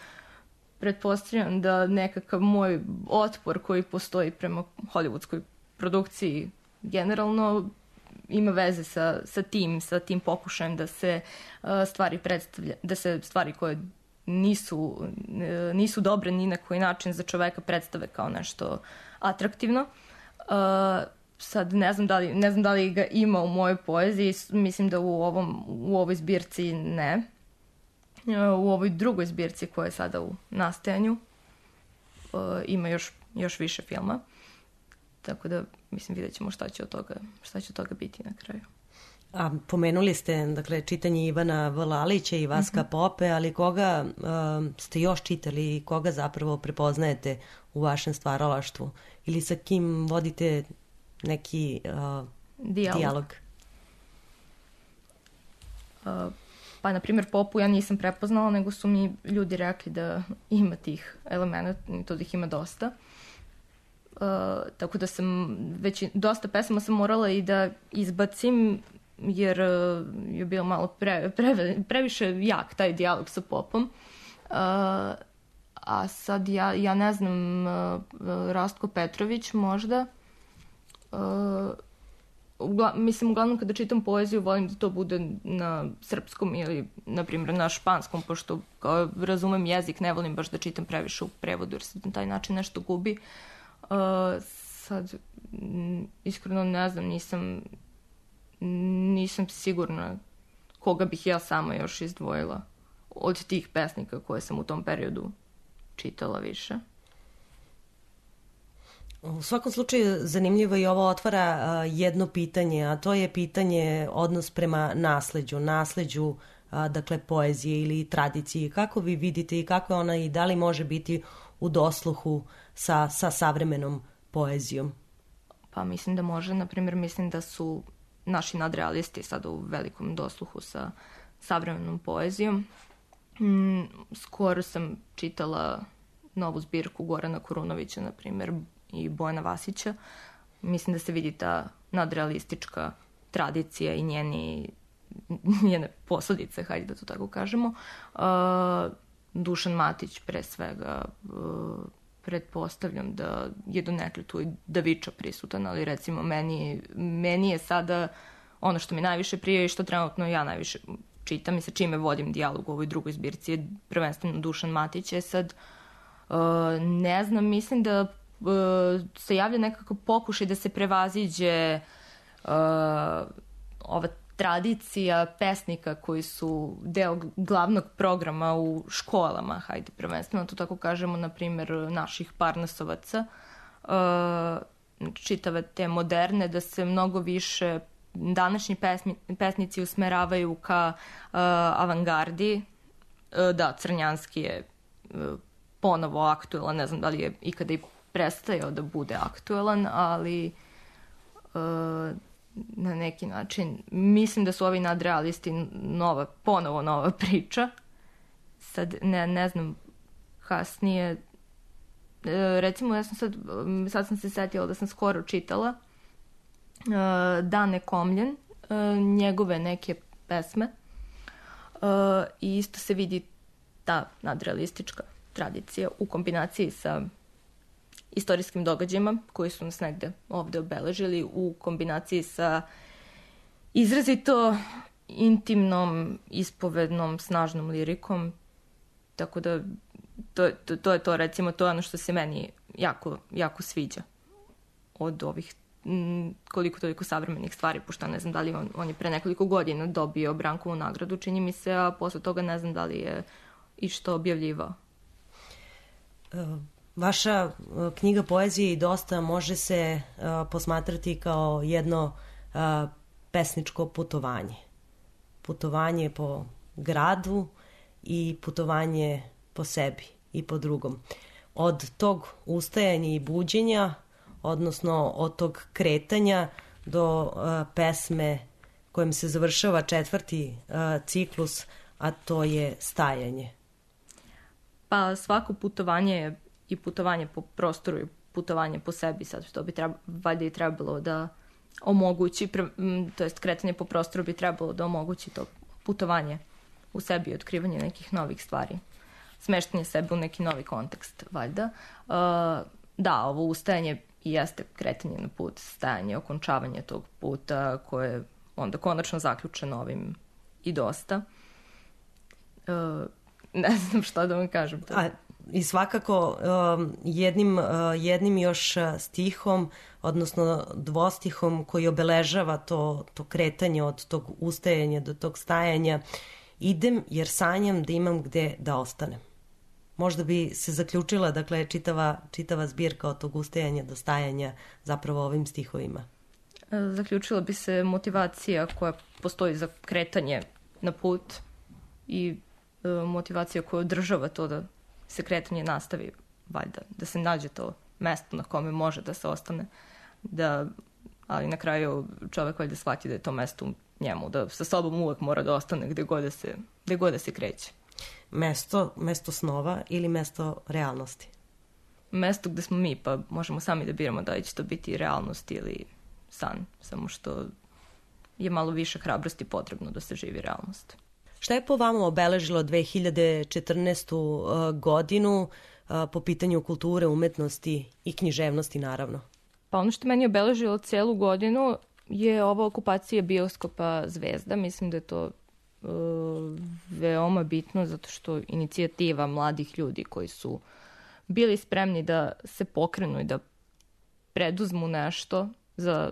pretpostavljam da nekakav moj otpor koji postoji prema hollywoodskoj produkciji generalno ima veze sa, sa tim, sa tim pokušajem da se uh, stvari predstavlja, da se stvari koje nisu, nisu dobre ni na koji način za čoveka predstave kao nešto atraktivno. Uh, sad ne znam, da li, ne znam da li ga ima u mojoj poeziji, mislim da u, ovom, u ovoj zbirci ne. Uh, u ovoj drugoj zbirci koja je sada u nastajanju uh, ima još, još više filma. Tako da, mislim, vidjet ćemo šta će od toga, šta će od toga biti na kraju. A pomenuli ste, dakle, čitanje Ivana Vlalića i Vaska mm-hmm. Pope, ali koga um, ste još čitali i koga zapravo prepoznajete u vašem stvaralaštvu? Ili sa kim vodite neki uh, dijalog? dijalog? Uh, pa, na primjer, Popu ja nisam prepoznala, nego su mi ljudi rekli da ima tih elementa, to da ih ima dosta. Uh, tako da sam već dosta pesama sam morala i da izbacim, jer uh, je bio malo pre, pre, previše jak taj dijalog sa Popom. Uh, a sad ja, ja ne znam, uh, Rastko Petrović možda. Uh, ugla, mislim, uglavnom kada čitam poeziju volim da to bude na srpskom ili, na primjer, na španskom, pošto kao razumem jezik, ne volim baš da čitam previše u prevodu, jer se na taj način nešto gubi. Uh, sad, m, iskreno ne znam, nisam nisam sigurna koga bih ja sama još izdvojila od tih pesnika koje sam u tom periodu čitala više. U svakom slučaju zanimljivo i ovo otvara uh, jedno pitanje, a to je pitanje odnos prema nasleđu, nasleđu uh, dakle poezije ili tradiciji. Kako vi vidite i kako ona i da li može biti u dosluhu sa, sa savremenom poezijom? Pa mislim da može, na primjer mislim da su naši nadrealisti sada u velikom dosluhu sa savremenom poezijom. Mm, skoro sam čitala novu zbirku Gorana Kurunovića, na primjer, i Bojana Vasića. Mislim da se vidi ta nadrealistička tradicija i njeni, njene posledice, hajde da to tako kažemo. Uh, Dušan Matić, pre svega, uh, pretpostavljam da je donekle tu i Daviča prisutan, ali recimo meni, meni je sada ono što mi najviše prije i što trenutno ja najviše čitam i sa čime vodim dijalog u ovoj drugoj zbirci je prvenstveno Dušan Matić. Je sad, uh, ne znam, mislim da uh, se javlja nekako pokušaj da se prevaziđe uh, ova tradicija pesnika koji su deo glavnog programa u školama, hajde prvenstveno, to tako kažemo, na primjer, naših Parnasovaca, uh, čitave te moderne, da se mnogo više današnji pesmi, pesnici usmeravaju ka uh, avangardi. Uh, da, Crnjanski je uh, ponovo aktuelan, ne znam da li je ikada i prestajao da bude aktuelan, ali uh, na neki način mislim da su ovi nadrealisti nova, ponovo nova priča. Sad ne, ne znam kasnije, recimo ja sam sad sad sam se setila da sam skoro čitala Dane Komljen, njegove neke pesme i isto se vidi ta nadrealistička tradicija u kombinaciji sa istorijskim događajima koji su nas negde ovde obeležili, u kombinaciji sa izrazito intimnom, ispovednom, snažnom lirikom. Tako da to, to, to je to, recimo, to je ono što se meni jako, jako sviđa od ovih m, koliko toliko savremenih stvari, pošto ne znam da li on, on je pre nekoliko godina dobio Brankovu nagradu, čini mi se, a posle toga ne znam da li je i što objavljivao. Uh. Vaša knjiga poezije i dosta može se uh, posmatrati kao jedno uh, pesničko putovanje. Putovanje po gradu i putovanje po sebi i po drugom. Od tog ustajanja i buđenja, odnosno od tog kretanja do uh, pesme kojim se završava četvrti uh, ciklus, a to je stajanje. Pa svako putovanje je i putovanje po prostoru i putovanje po sebi, sad to bi treba, valjda i trebalo da omogući, to jest kretanje po prostoru bi trebalo da omogući to putovanje u sebi i otkrivanje nekih novih stvari, smeštanje sebe u neki novi kontekst, valjda. Uh, da, ovo ustajanje i jeste kretanje na put, stajanje, okončavanje tog puta koje je onda konačno zaključeno ovim i dosta. Uh, ne znam šta da vam kažem. To. A, I svakako um, jednim, uh, jednim još stihom, odnosno dvostihom koji obeležava to, to kretanje od tog ustajanja do tog stajanja, idem jer sanjam da imam gde da ostanem. Možda bi se zaključila, dakle, čitava, čitava zbirka od tog ustajanja do stajanja zapravo ovim stihovima. Zaključila bi se motivacija koja postoji za kretanje na put i e, motivacija koja održava to da se kretanje nastavi, valjda, da se nađe to mesto na kome može da se ostane, da, ali na kraju čovek valjda shvati da je to mesto u njemu, da sa sobom uvek mora da ostane gde god da se, gde god da se kreće. Mesto, mesto snova ili mesto realnosti? Mesto gde smo mi, pa možemo sami da biramo da li će to biti realnost ili san, samo što je malo više hrabrosti potrebno da se živi realnost. Šta je po vama obeležilo dve hiljade četrnaestu. godinu po pitanju kulture, umetnosti i književnosti, naravno? Pa ono što meni je obeležilo celu godinu je ova okupacija bioskopa Zvezda. Mislim da je to uh, veoma bitno zato što inicijativa mladih ljudi koji su bili spremni da se pokrenu i da preduzmu nešto za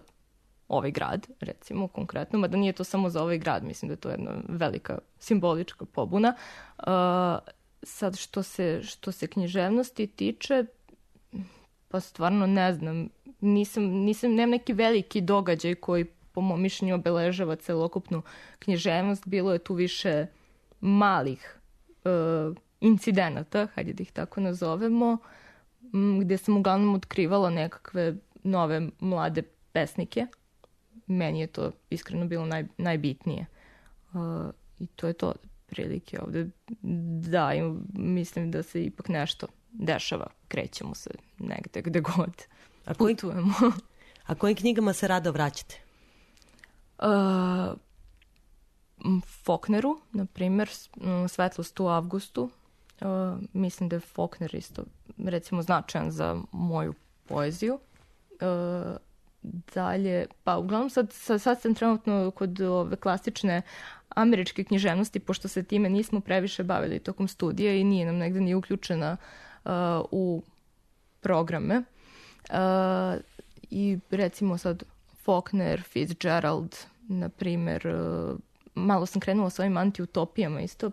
ovaj grad, recimo, konkretno, mada nije to samo za ovaj grad, mislim da je to jedna velika simbolička pobuna. Uh, sad, što se, što se književnosti tiče, pa stvarno ne znam, nisam, nisam, nemam neki veliki događaj koji, po mom mišljenju, obeležava celokupnu književnost. Bilo je tu više malih uh, incidenata, hajde da ih tako nazovemo, gde sam uglavnom otkrivala nekakve nove mlade pesnike. Meni je to iskreno bilo naj, najbitnije. Uh, I to je to prilike ovde. Da, i mislim da se ipak nešto dešava. Krećemo se negde gde god a koji, putujemo. A kojim knjigama se rado vraćate? Uh, Faulkneru, na primjer, Svetlost u avgustu. Uh, mislim da je Faulkner isto, recimo, značajan za moju poeziju. Uh, Dalje, pa uglavnom sad, sad, sad sam trenutno kod ove klasične američke književnosti, pošto se time nismo previše bavili tokom studija i nije nam negde ni uključena uh, u programe. Uh, I recimo sad Faulkner, Fitzgerald, na primer, uh, malo sam krenula s ovim antiutopijama isto,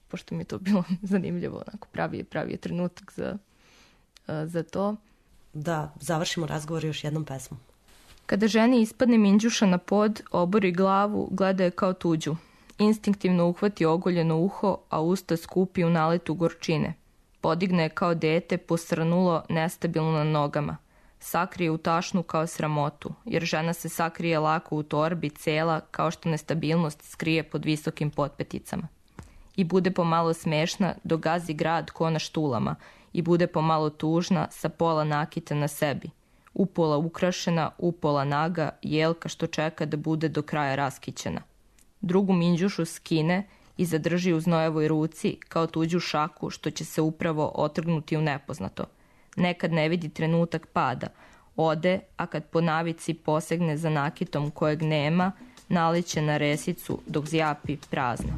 pošto mi je to bilo zanimljivo, onako pravi, pravi je trenutak za, uh, za to. Da završimo razgovor još jednom pesmom. Kada ženi ispadne minđuša na pod, obori glavu, gleda je kao tuđu. Instinktivno uhvati ogoljeno uho, a usta skupi u naletu gorčine. Podigne je kao dete, posrnulo, nestabilno na nogama. Sakrije u tašnu kao sramotu, jer žena se sakrije lako u torbi, cela, kao što nestabilnost skrije pod visokim potpeticama. I bude pomalo smešna, dok gazi grad ko na štulama, i bude pomalo tužna, sa pola nakita na sebi. Upola ukrašena, upola naga, jelka što čeka da bude do kraja raskićena. Drugu minđušu skine i zadrži u znojevoj ruci kao tuđu šaku što će se upravo otrgnuti u nepoznato. Nekad ne vidi trenutak pada. Ode, a kad po navici posegne za nakitom kojeg nema, naliće na resicu dok zjapi prazna.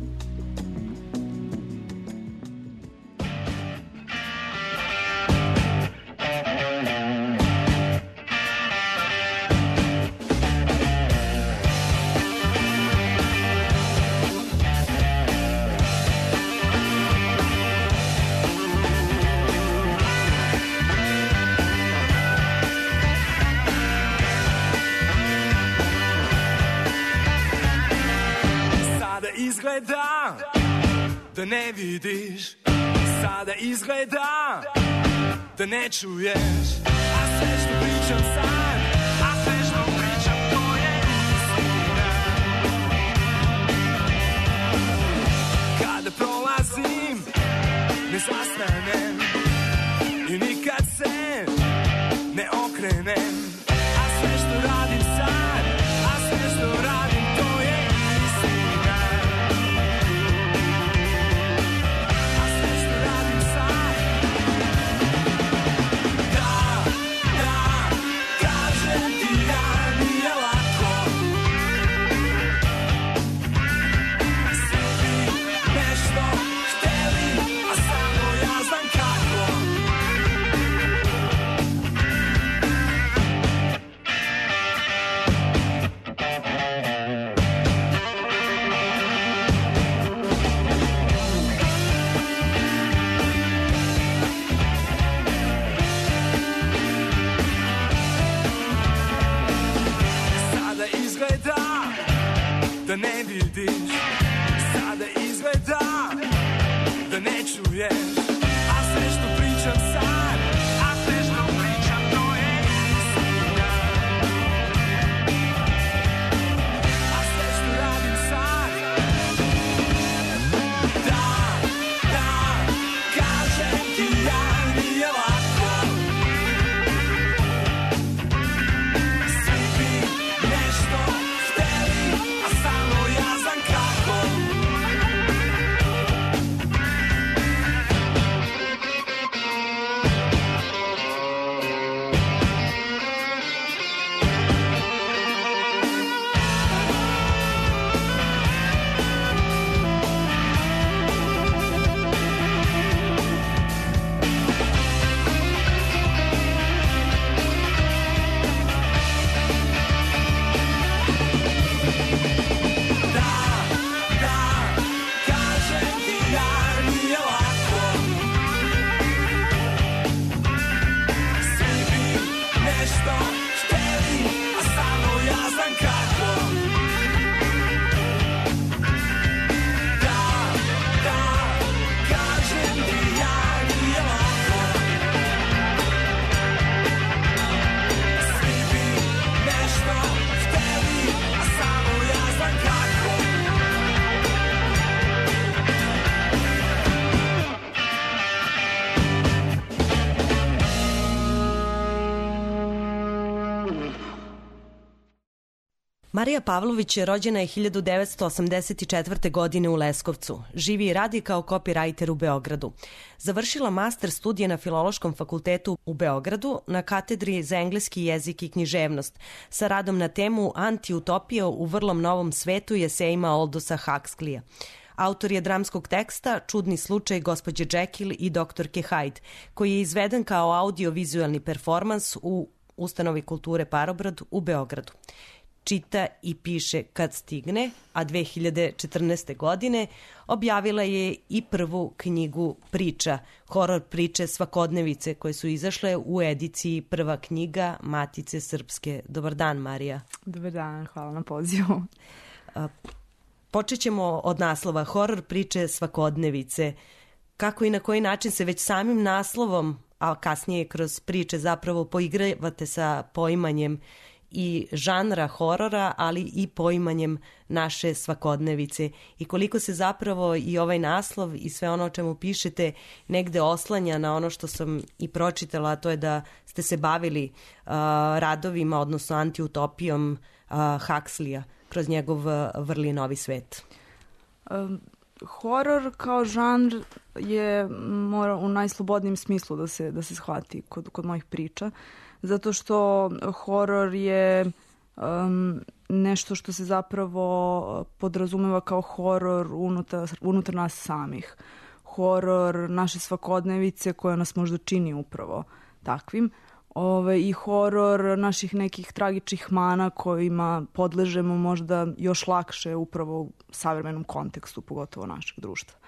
Izgleda da ne vidiš, sada izgleda da ne čuješ, a sve što pričam sad, a sve što pričam to je istina. Kada prolazim, ne zastanem i nikad se ne okrenem, a sve što radim sad, a sve što radim to je istina. Svi bi nešto hteli, a samo ja znam kako. čuješ, a sve što pričam sad, a sve što pričam to je istina. A sve što radim sad, da, da, kažem ti ja, nije lako. Svi bi nešto hteli, a samo ja znam kako. Marija Pavlović je rođena je hiljadu devetsto osamdeset četvrte. godine u Leskovcu. Živi i radi kao copywriter u Beogradu. Završila master studije na Filološkom fakultetu u Beogradu na katedri za engleski jezik i književnost sa radom na temu Antiutopija u vrlom novom svetu i esejima Aldosa Huxleya. Autor je dramskog teksta Čudni slučaj gospođe Jekyll i doktorke Hyde, koji je izveden kao audio-vizualni performans u Ustanovi kulture Parobrod u Beogradu. Čita i piše kad stigne, a dve hiljade četrnaeste. godine objavila je i prvu knjigu priča, horor priče Svakodnevice, koje su izašle u ediciji Prva knjiga Matice Srpske. Dobar dan, Marija. Dobar dan, hvala na pozivu. Počet ćemo od naslova horor priče Svakodnevice. Kako i na koji način se već samim naslovom, a kasnije kroz priče zapravo poigravate sa poimanjem i žanra horora, ali i poimanjem naše svakodnevice i koliko se zapravo i ovaj naslov i sve ono o čemu pišete negde oslanja na ono što sam i pročitala, a to je da ste se bavili uh, radovima, odnosno antiutopijom uh, Huxleya kroz njegov uh, vrli novi svet. Um, horor kao žanr je mora u najslobodnijem smislu da se, da se shvati kod, kod mojih priča. Zato što horor je um, nešto što se zapravo podrazumeva kao horor unutar, unutar nas samih. Horor naše svakodnevice koja nas možda čini upravo takvim. Ove, I horor naših nekih tragičnih mana kojima podležemo možda još lakše upravo u savremenom kontekstu, pogotovo našeg društva.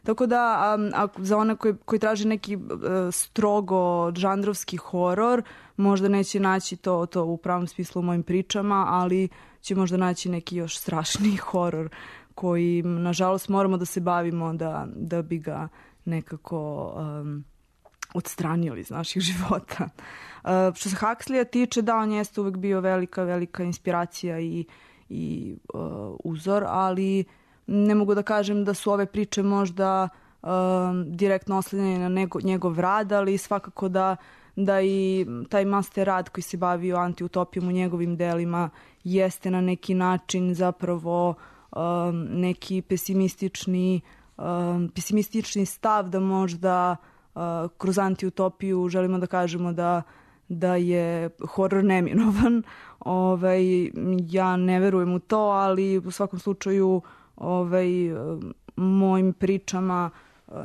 Tako da, a, a za one koji, koji traže neki a, strogo žanrovski horor, možda neće naći to, to u pravom smislu u mojim pričama, ali će možda naći neki još strašniji horor koji, nažalost, moramo da se bavimo da, da bi ga nekako um, odstranili iz naših života. Uh, što se Huxleya tiče, da, on jeste uvek bio velika, velika inspiracija i, i uh, uzor, ali ne mogu da kažem da su ove priče možda uh, direktno oslanjene na nego, njegov rad, ali svakako da, da i taj master rad koji se bavio antiutopijom u njegovim delima jeste na neki način zapravo um, neki pesimistični, um, pesimistični stav da možda uh, kroz antiutopiju želimo da kažemo da, da je horor neminovan. Ovaj, ja ne verujem u to, ali u svakom slučaju ovaj, mojim pričama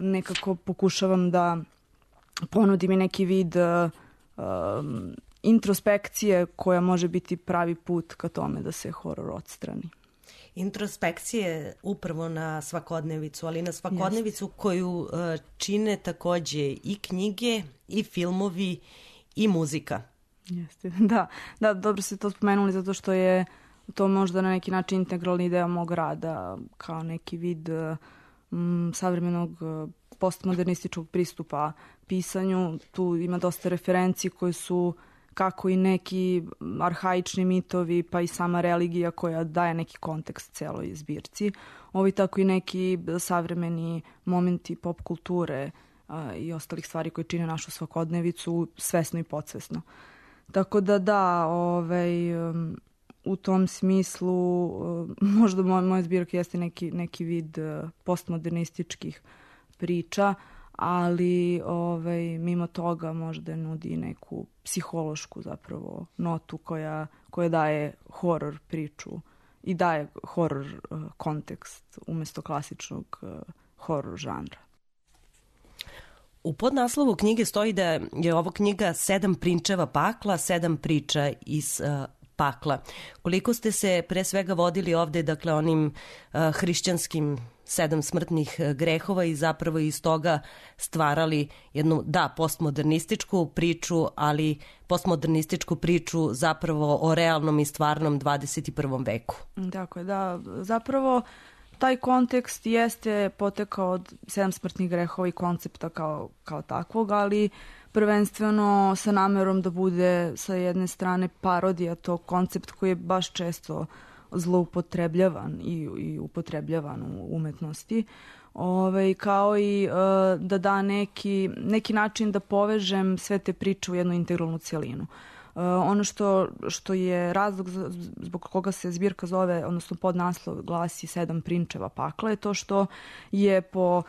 nekako pokušavam da ponudim i neki vid uh, introspekcije koja može biti pravi put ka tome da se horor odstrani. Introspekcije upravo na svakodnevicu, ali na svakodnevicu yes. koju uh, čine takođe i knjige, i filmovi, i muzika. Jeste, da, da, dobro ste to spomenuli zato što je to možda na neki način integralni deo mog rada kao neki vid m, savremenog postmodernističkog pristupa pisanju. Tu ima dosta referenci koje su kako i neki arhaični mitovi, pa i sama religija koja daje neki kontekst celoj zbirci. Ovi tako i neki savremeni momenti pop kulture a, i ostalih stvari koje čine našu svakodnevicu svesno i podsvesno. Tako da da, ovaj, um, u tom smislu um, možda moj, moja zbirka jeste neki, neki vid uh, postmodernističkih priča, ali ovaj, mimo toga možda nudi neku psihološku zapravo notu koja, koja daje horor priču i daje horor uh, kontekst umjesto klasičnog uh, horor žanra. U podnaslovu knjige stoji da je ovo knjiga Sedam prinčeva pakla, sedam priča iz uh, pakla. Koliko ste se pre svega vodili ovde, dakle, onim uh, hrišćanskim sedam smrtnih grehova i zapravo iz toga stvarali jednu, da, postmodernističku priču, ali postmodernističku priču zapravo o realnom i stvarnom dvadeset prvom veku. Dakle, da, zapravo taj kontekst jeste potekao od sedam smrtnih grehova i koncepta kao, kao takvog, ali prvenstveno sa namerom da bude sa jedne strane parodija tog koncept koji je baš često zloupotrebljavan i, i upotrebljavan u umetnosti. Ove, kao i uh, da da neki, neki način da povežem sve te priče u jednu integralnu cijelinu. Uh, ono što, što je razlog zbog koga se zbirka zove, odnosno podnaslov glasi Sedam prinčeva pakla, je to što je po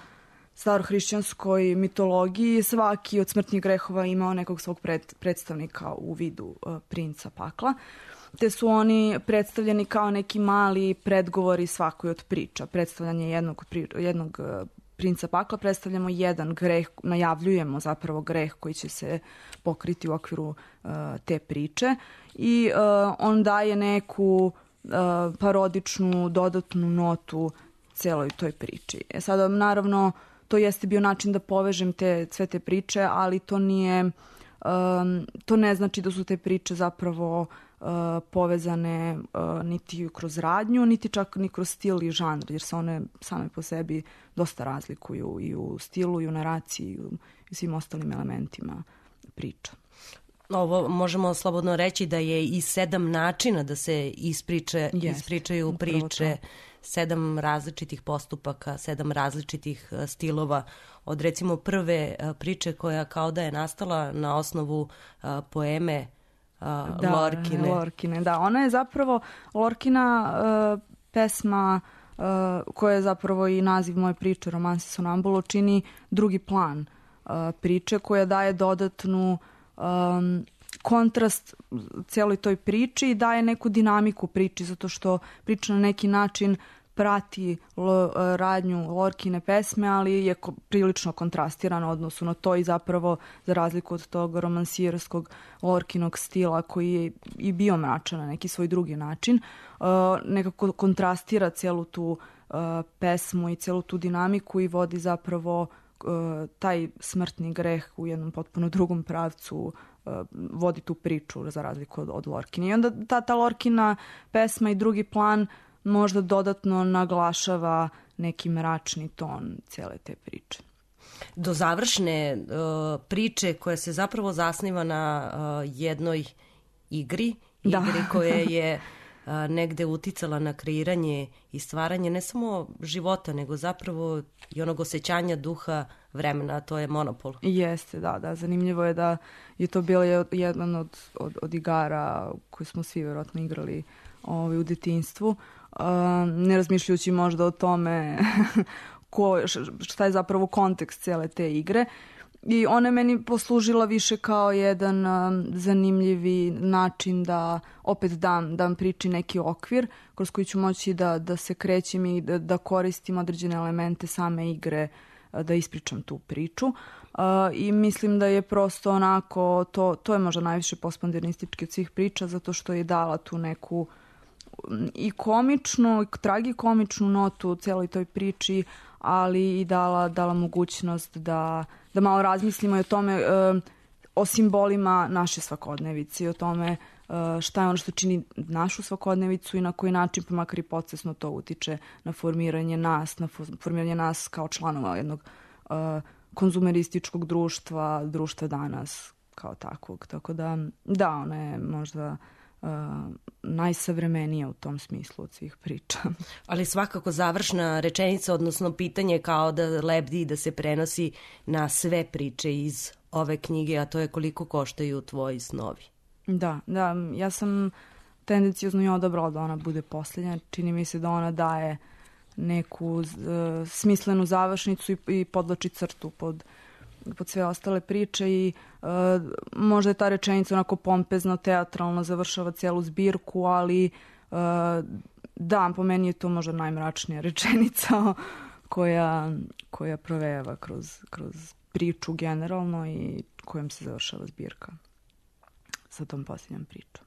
starohrišćanskoj mitologiji svaki od smrtnih grehova imao nekog svog pred, predstavnika u vidu uh, princa pakla, te su oni predstavljeni kao neki mali predgovori svakoj od priča. Predstavljanje jednog, jednog uh, princa pakla, predstavljamo jedan greh, najavljujemo zapravo greh koji će se pokriti u okviru uh, te priče i uh, on daje neku uh, parodičnu dodatnu notu celoj toj priči. E sada, naravno, to jeste bio način da povežem te, sve te priče, ali to nije, um, to ne znači da su te priče zapravo uh, povezane uh, niti kroz radnju, niti čak ni kroz stil i žanr, jer se one same po sebi dosta razlikuju i u stilu, i u naraciji, i u i svim ostalim elementima priča. Ovo možemo slobodno reći da je i sedam načina da se ispriče, yes, ispričaju priče, sedam različitih postupaka, sedam različitih stilova. Od recimo prve priče koja kao da je nastala na osnovu poeme da, Lorkine. Lorkine. Da, ona je zapravo Lorkina uh, pesma uh, koja je zapravo i naziv moje priče, Romansi Sonambulo, čini drugi plan uh, priče koja daje dodatnu um, kontrast cijeloj toj priči i daje neku dinamiku priči, zato što priča na neki način prati l, radnju Lorkine pesme, ali je ko, prilično kontrastirano odnosu na to i zapravo za razliku od tog romansierskog Lorkinog stila koji je i bio mračan na neki svoj drugi način, uh, nekako kontrastira cijelu tu uh, pesmu i cijelu tu dinamiku i vodi zapravo uh, taj smrtni greh u jednom potpuno drugom pravcu, vodi tu priču za razliku od, od Lorkine. I onda ta, ta Lorkina pesma i drugi plan možda dodatno naglašava neki mračni ton cijele te priče. Do završne uh, priče koja se zapravo zasniva na uh, jednoj igri, da. igri koja je uh, negde uticala na kreiranje i stvaranje ne samo života, nego zapravo i onog osjećanja duha vremena, a to je Monopol. Jeste, da, da. Zanimljivo je da je to bilo jedan od, od, od igara koji smo svi vjerojatno igrali ovaj, u detinjstvu. Uh, ne razmišljajući možda o tome ko, šta je zapravo kontekst cijele te igre. I ona je meni poslužila više kao jedan um, zanimljivi način da opet dam, dam priči neki okvir kroz koji ću moći da, da se krećem i da, da koristim određene elemente same igre da ispričam tu priču. Uh, I mislim da je prosto onako, to, to je možda najviše postmodernistički od svih priča, zato što je dala tu neku i komičnu, i tragikomičnu notu u cijeloj toj priči, ali i dala, dala mogućnost da, da malo razmislimo i o tome, uh, o simbolima naše svakodnevice, o tome uh, šta je ono što čini našu svakodnevicu i na koji način, pa makar i podsvesno, to utiče na formiranje nas, na formiranje nas kao članova jednog uh, konzumerističkog društva, društva danas kao takvog. Tako da, da, ona je možda uh, najsavremenija u tom smislu od svih priča. Ali svakako završna rečenica, odnosno pitanje kao da lebdi i da se prenosi na sve priče iz ove knjige, a to je koliko koštaju tvoji snovi. Da, da, ja sam tendencijozno i odabrala da ona bude posljednja. Čini mi se da ona daje neku uh, smislenu završnicu i, i podlači crtu pod, pod sve ostale priče i uh, možda je ta rečenica onako pompezno, teatralno završava cijelu zbirku, ali uh, da, po meni je to možda najmračnija rečenica koja, koja provejava kroz, kroz priču generalno i kojom se završava zbirka sa tom posljednjom pričom.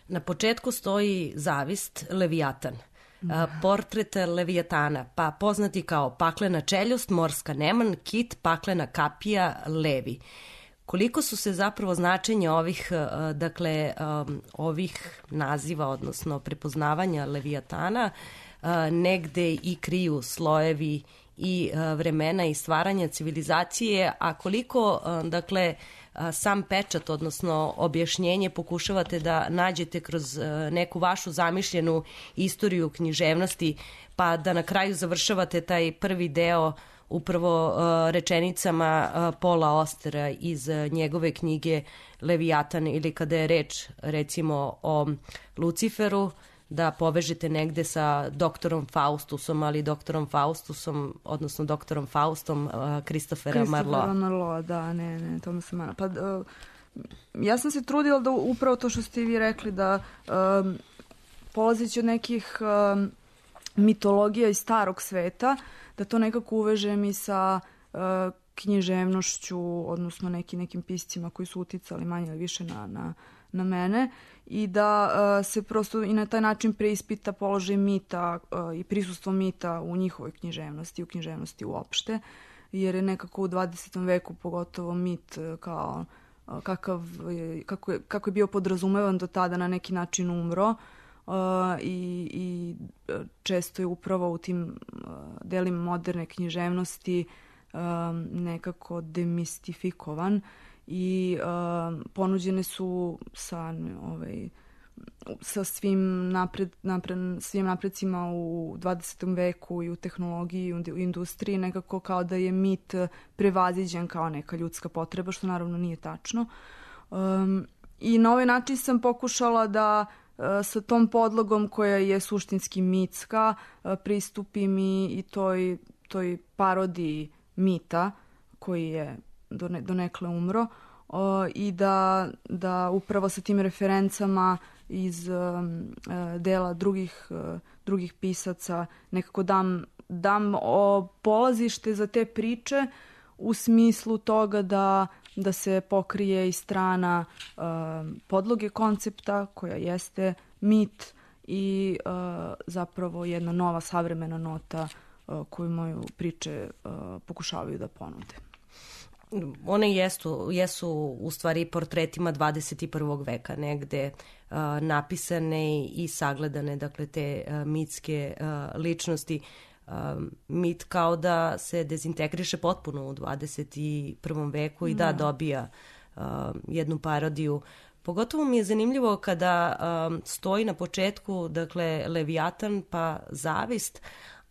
Na početku stoji zavist, Levijatan. Da. Portret Levijatana, pa poznati kao paklena čeljust, morska neman, kit, paklena kapija, levi. Koliko su se zapravo značenja ovih, dakle, ovih naziva, odnosno prepoznavanja Levijatana, negde i kriju slojevi i vremena i stvaranja civilizacije, a koliko, dakle, sam pečat, odnosno objašnjenje pokušavate da nađete kroz neku vašu zamišljenu istoriju književnosti, pa da na kraju završavate taj prvi deo upravo rečenicama Paula Austera iz njegove knjige Levijatan, ili kada je reč recimo o Luciferu, da povežete negde sa doktorom Faustusom, ali doktorom Faustusom, odnosno doktorom Faustom Kristofera Marloa. Kristofera Marloa, da, ne, ne, to mi se mana. Pa, uh, ja sam se trudila da upravo to što ste vi rekli, da um, polazeći od nekih um, mitologija iz starog sveta, da to nekako uvežem i sa uh, književnošću, odnosno neki, nekim piscima koji su uticali manje ili više na, na, na mene, i da uh, se prosto i na taj način preispita položaj mita uh, i prisustvo mita u njihovoj književnosti, u književnosti uopšte, jer je nekako u dvadesetom veku pogotovo mit uh, kao uh, kakav je, kako, je, kako je bio podrazumevan do tada na neki način umro uh, i, i često je upravo u tim uh, delima moderne književnosti uh, nekako demistifikovan i uh, ponuđene su sa ovaj sa svim napred, napred svim napredcima u dvadesetom veku i u tehnologiji i u industriji, nekako kao da je mit prevaziđen kao neka ljudska potreba, što naravno nije tačno. Um, I na ovaj način sam pokušala da uh, sa tom podlogom koja je suštinski mitska uh, pristupim i, i toj, toj parodiji mita koji je donekle umro, o, i da, da upravo sa tim referencama iz um, dela drugih, uh, drugih pisaca nekako dam, dam o polazište za te priče u smislu toga da, da se pokrije i strana uh, podloge koncepta koja jeste mit i uh, zapravo jedna nova savremena nota uh, koju moju priče uh, pokušavaju da ponude. One jesu, jesu u stvari portretima dvadeset prvog veka, negde uh, napisane i sagledane, dakle, te uh, mitske uh, ličnosti. Uh, mit kao da se dezintegriše potpuno u dvadeset prvom veku i da, da dobija uh, jednu parodiju. Pogotovo mi je zanimljivo kada um, stoji na početku, dakle, Levijatan pa zavist,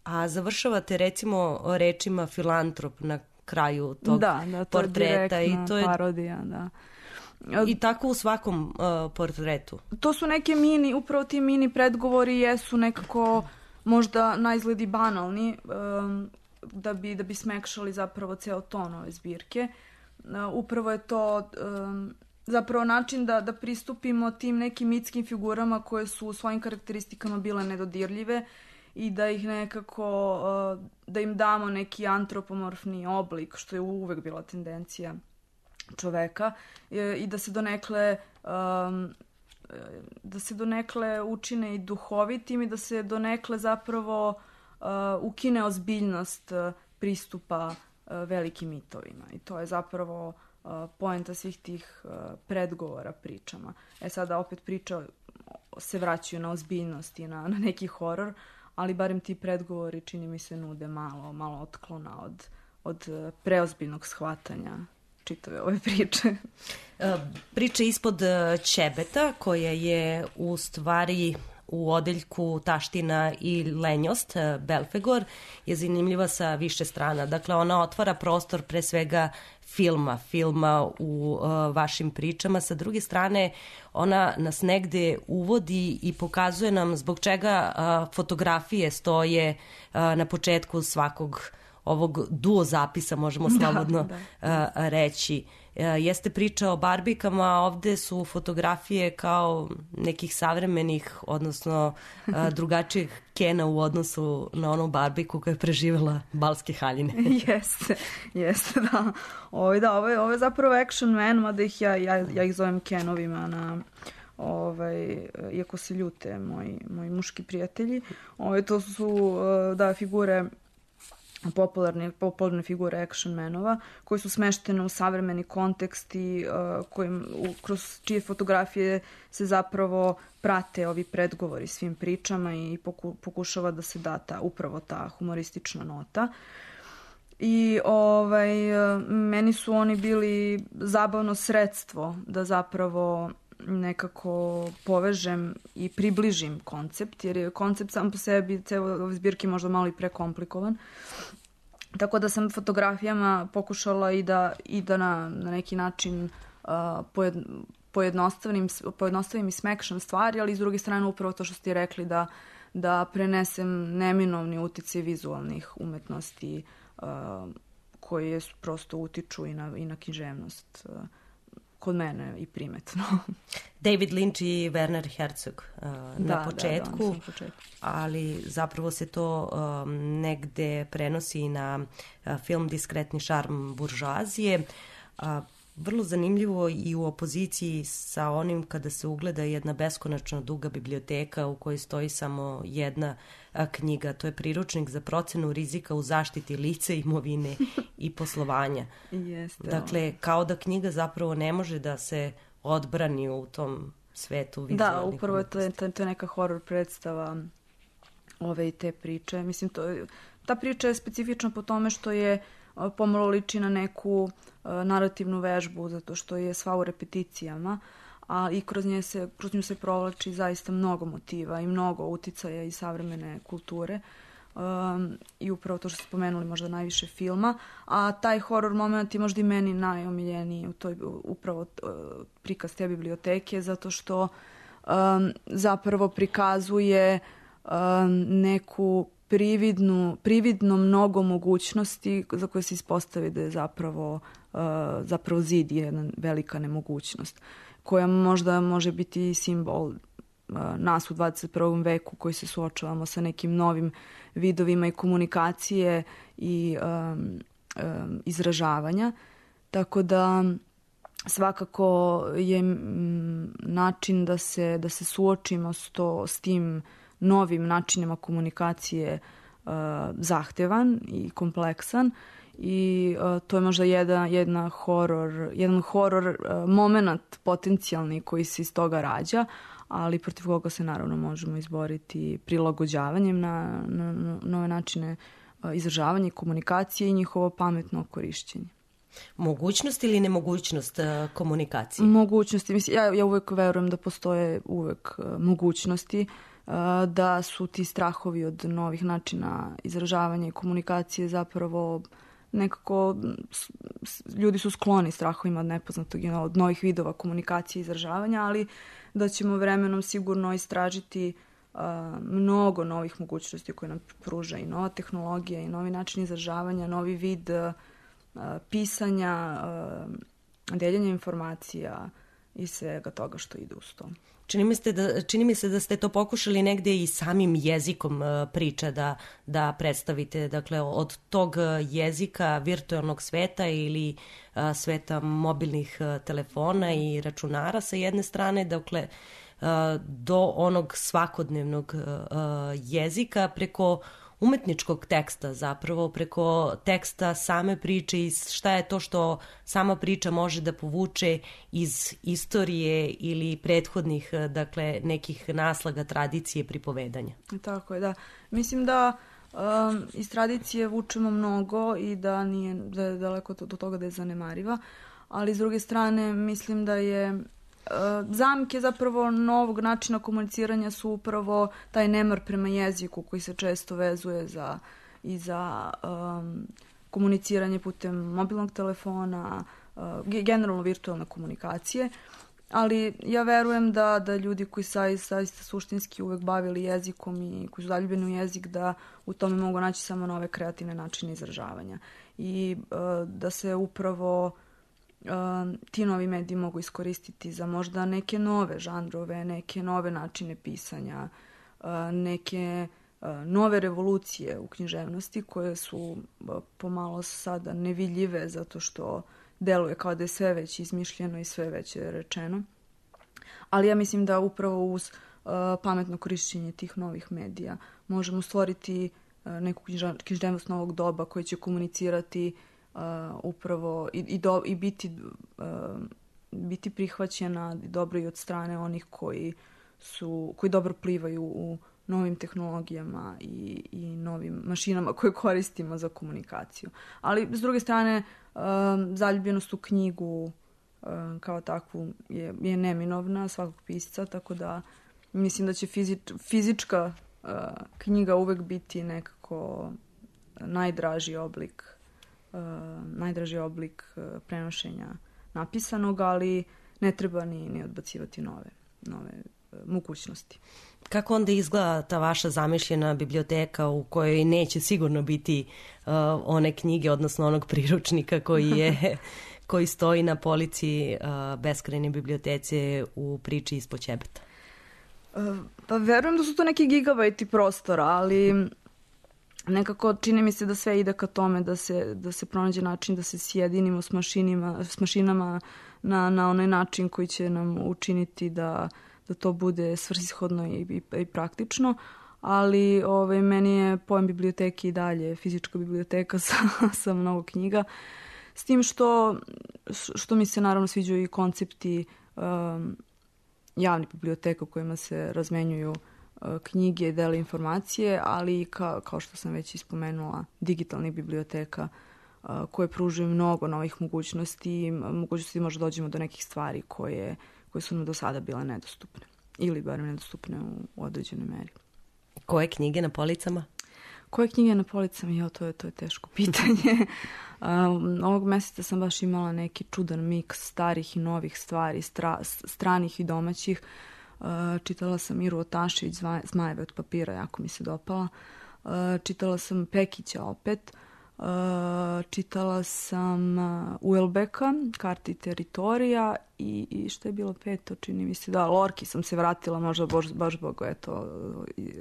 a završavate recimo rečima filantrop na kraju tog da, da, to portreta. Je i to je parodija, da. I tako u svakom uh, portretu. To su neke mini, upravo ti mini predgovori jesu nekako možda na izgledi banalni, um, da bi, da bi smekšali zapravo ceo ton ove zbirke. Uh, upravo je to um, zapravo način da, da pristupimo tim nekim mitskim figurama koje su u svojim karakteristikama bile nedodirljive i da ih nekako, uh, da im damo neki antropomorfni oblik, što je uvek bila tendencija čoveka, i, i da se donekle um, da se donekle učine i duhovitim i da se donekle zapravo uh, ukine ozbiljnost uh, pristupa velikim mitovima. I to je zapravo poenta svih tih predgovora pričama. E sada opet priča se vraćaju na ozbiljnost i na, na neki horor, ali barem ti predgovori čini mi se nude malo, malo otklona od, od preozbiljnog shvatanja čitave ove priče. Priča ispod ćebeta koja je u stvari u odeljku Taština i lenjost, Belfegor, je zanimljiva sa više strana. Dakle, ona otvara prostor pre svega filma, filma u uh, vašim pričama. Sa druge strane, ona nas negde uvodi i pokazuje nam zbog čega uh, fotografije stoje uh, na početku svakog ovog duo zapisa, možemo slobodno da, da. Uh, reći. Uh, jeste priča o barbikama, a ovde su fotografije kao nekih savremenih, odnosno uh, drugačijih Kena u odnosu na onu barbiku koja je preživjela balske haljine. jeste, jeste, da. Ovo, da, ovo, je, ovo je zapravo action man, mada ih ja, ja, ja ih zovem Kenovima na... Ovaj, iako se ljute moji, moji muški prijatelji. Ovaj, to su da, figure popularne, popularne figure action manova koji su smeštene u savremeni kontekst i uh, kojim, u, kroz čije fotografije se zapravo prate ovi predgovori svim pričama i poku, pokušava da se da ta, upravo ta humoristična nota. I ovaj, meni su oni bili zabavno sredstvo da zapravo nekako povežem i približim koncept, jer je koncept sam po sebi celo ove zbirke možda malo i prekomplikovan. Tako da sam fotografijama pokušala i da, i da na, na neki način uh, pojed, pojednostavim, pojednostavim i smekšam stvari, ali s druge strane upravo to što ste rekli da, da prenesem neminovni uticaj vizualnih umetnosti uh, koje prosto utiču i na, i na književnost uh, kod mene i primetno. David Lynch i Werner Herzog uh, da, na početku, da, da, na početku, ali zapravo se to um, negde prenosi na uh, film Diskretni šarm buržoazije. Uh, vrlo zanimljivo i u opoziciji sa onim kada se ugleda jedna beskonačno duga biblioteka u kojoj stoji samo jedna a, knjiga. To je priručnik za procenu rizika u zaštiti lica, imovine i poslovanja. Jeste, dakle, kao da knjiga zapravo ne može da se odbrani u tom svetu vizualnih. Da, upravo je to, to, to je neka horor predstava ove i te priče. Mislim, to, ta priča je specifična po tome što je pomalo liči na neku uh, narativnu vežbu, zato što je sva u repeticijama, a i kroz, nje se, kroz nju se provlači zaista mnogo motiva i mnogo uticaja iz savremene kulture. Um, I upravo to što ste spomenuli, možda najviše filma, a taj horor moment je možda i meni najomiljeniji u toj upravo uh, prikaz te biblioteke, zato što um, zapravo prikazuje um, neku prividnu, prividno mnogo mogućnosti za koje se ispostavi da je zapravo, uh, zapravo zid jedna velika nemogućnost, koja možda može biti simbol uh, nas u dvadeset prvom veku koji se suočavamo sa nekim novim vidovima i komunikacije i um, um, izražavanja. Tako da svakako je m, način da se, da se suočimo s, to, s tim novim načinima komunikacije uh, zahtevan i kompleksan i uh, to je možda jedna, jedna horor, jedan horor uh, moment potencijalni koji se iz toga rađa, ali protiv koga se naravno možemo izboriti prilagođavanjem na, na, na nove načine uh, izražavanja i komunikacije i njihovo pametno korišćenje. Mogućnost ili nemogućnost uh, komunikacije? Mogućnosti. Mislim, ja, ja uvek verujem da postoje uvek uh, mogućnosti, da su ti strahovi od novih načina izražavanja i komunikacije zapravo nekako, ljudi su skloni strahovima od nepoznatog, od novih vidova komunikacije i izražavanja, ali da ćemo vremenom sigurno istražiti uh, mnogo novih mogućnosti koje nam pruža i nova tehnologija i novi način izražavanja, novi vid uh, pisanja, uh, deljenja informacija i svega toga što ide uz to. Čini mi, ste da, čini mi se da ste to pokušali negde i samim jezikom uh, priča da, da predstavite, dakle od tog jezika virtualnog sveta ili uh, sveta mobilnih uh, telefona i računara sa jedne strane, dakle uh, do onog svakodnevnog uh, jezika preko umetničkog teksta, zapravo preko teksta same priče i šta je to što sama priča može da povuče iz istorije ili prethodnih, dakle, nekih naslaga, tradicije, pripovedanja. Tako je, da. Mislim da um, iz tradicije vučemo mnogo i da nije da je daleko do toga da je zanemariva, ali s druge strane mislim da je zamke zapravo novog načina komuniciranja su upravo taj nemar prema jeziku koji se često vezuje za, i za um, komuniciranje putem mobilnog telefona, uh, generalno virtualne komunikacije, ali ja verujem da, da ljudi koji zaista suštinski uvek bavili jezikom i koji su zaljubljeni u jezik, da u tome mogu naći samo nove kreativne načine izražavanja i uh, da se upravo Uh, ti novi mediji mogu iskoristiti za možda neke nove žanrove, neke nove načine pisanja, uh, neke uh, nove revolucije u književnosti koje su uh, pomalo sada nevidljive zato što deluje kao da je sve već izmišljeno i sve već je rečeno. Ali ja mislim da upravo uz uh, pametno korišćenje tih novih medija možemo stvoriti uh, neku književnost novog doba koja će komunicirati Uh, upravo i, i, do, i biti, uh, biti prihvaćena dobro i od strane onih koji su koji dobro plivaju u novim tehnologijama i, i novim mašinama koje koristimo za komunikaciju. Ali s druge strane uh, zaljubljenost u knjigu uh, kao takvu je, je neminovna svakog pisca, tako da mislim da će fizič, fizička uh, knjiga uvek biti nekako najdraži oblik Uh, najdraži oblik uh, prenošenja napisanog, ali ne treba ni, ni odbacivati nove, nove uh, mogućnosti. Kako onda izgleda ta vaša zamišljena biblioteka u kojoj neće sigurno biti uh, one knjige, odnosno onog priručnika koji je koji stoji na polici uh, beskrajne bibliotece u priči ispod ćebeta? Uh, pa verujem da su to neki gigabajti prostora, ali nekako čini mi se da sve ide ka tome da se, da se pronađe način da se sjedinimo s, mašinima, s mašinama na, na onaj način koji će nam učiniti da, da to bude svrsishodno i, i, i praktično, ali ovaj, meni je pojam biblioteke i dalje fizička biblioteka sa, sa mnogo knjiga, s tim što, što mi se naravno sviđaju i koncepti um, javnih biblioteka u kojima se razmenjuju knjige i dele informacije, ali ka, kao što sam već ispomenula, digitalnih biblioteka a, koje pružuju mnogo novih mogućnosti, mogućnosti možda dođemo do nekih stvari koje, koje su nam do sada bile nedostupne ili barem nedostupne u, u određenoj meri. Koje knjige na policama? Koje knjige na policama? Jo, to je, to je teško pitanje. um, ovog meseca sam baš imala neki čudan miks starih i novih stvari, stra, stranih i domaćih. Uh, čitala sam Miru Otašević, Zmajeve od papira, jako mi se dopala. Uh, čitala sam Pekića opet. Uh, čitala sam uh, Uelbeka, Karte i teritorija i, i što je bilo peto, čini mi se, da, Lorki sam se vratila, možda baš, baš zbog eto, uh,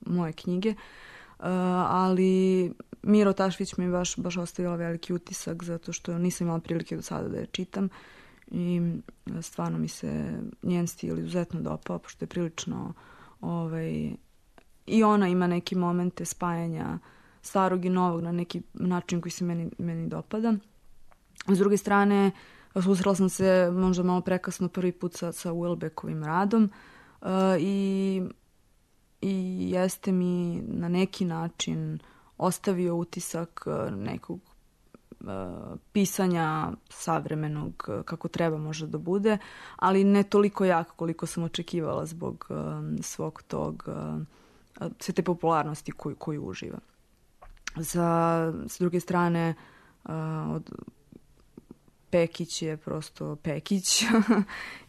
moje knjige. Uh, ali Miro Otašević mi je baš, baš ostavila veliki utisak zato što nisam imala prilike do sada da je čitam. I stvarno mi se njen stil izuzetno dopao, pošto je prilično ovaj, i ona ima neke momente spajanja starog i novog na neki način koji se meni, meni dopada. S druge strane, susrela sam se možda malo prekasno prvi put sa, sa Uelbekovim radom uh, i, i jeste mi na neki način ostavio utisak nekog pisanja savremenog kako treba možda da bude, ali ne toliko jako koliko sam očekivala zbog um, svog tog uh, sve te popularnosti koju, koju uživa. Za, s druge strane uh, od Pekić je prosto Pekić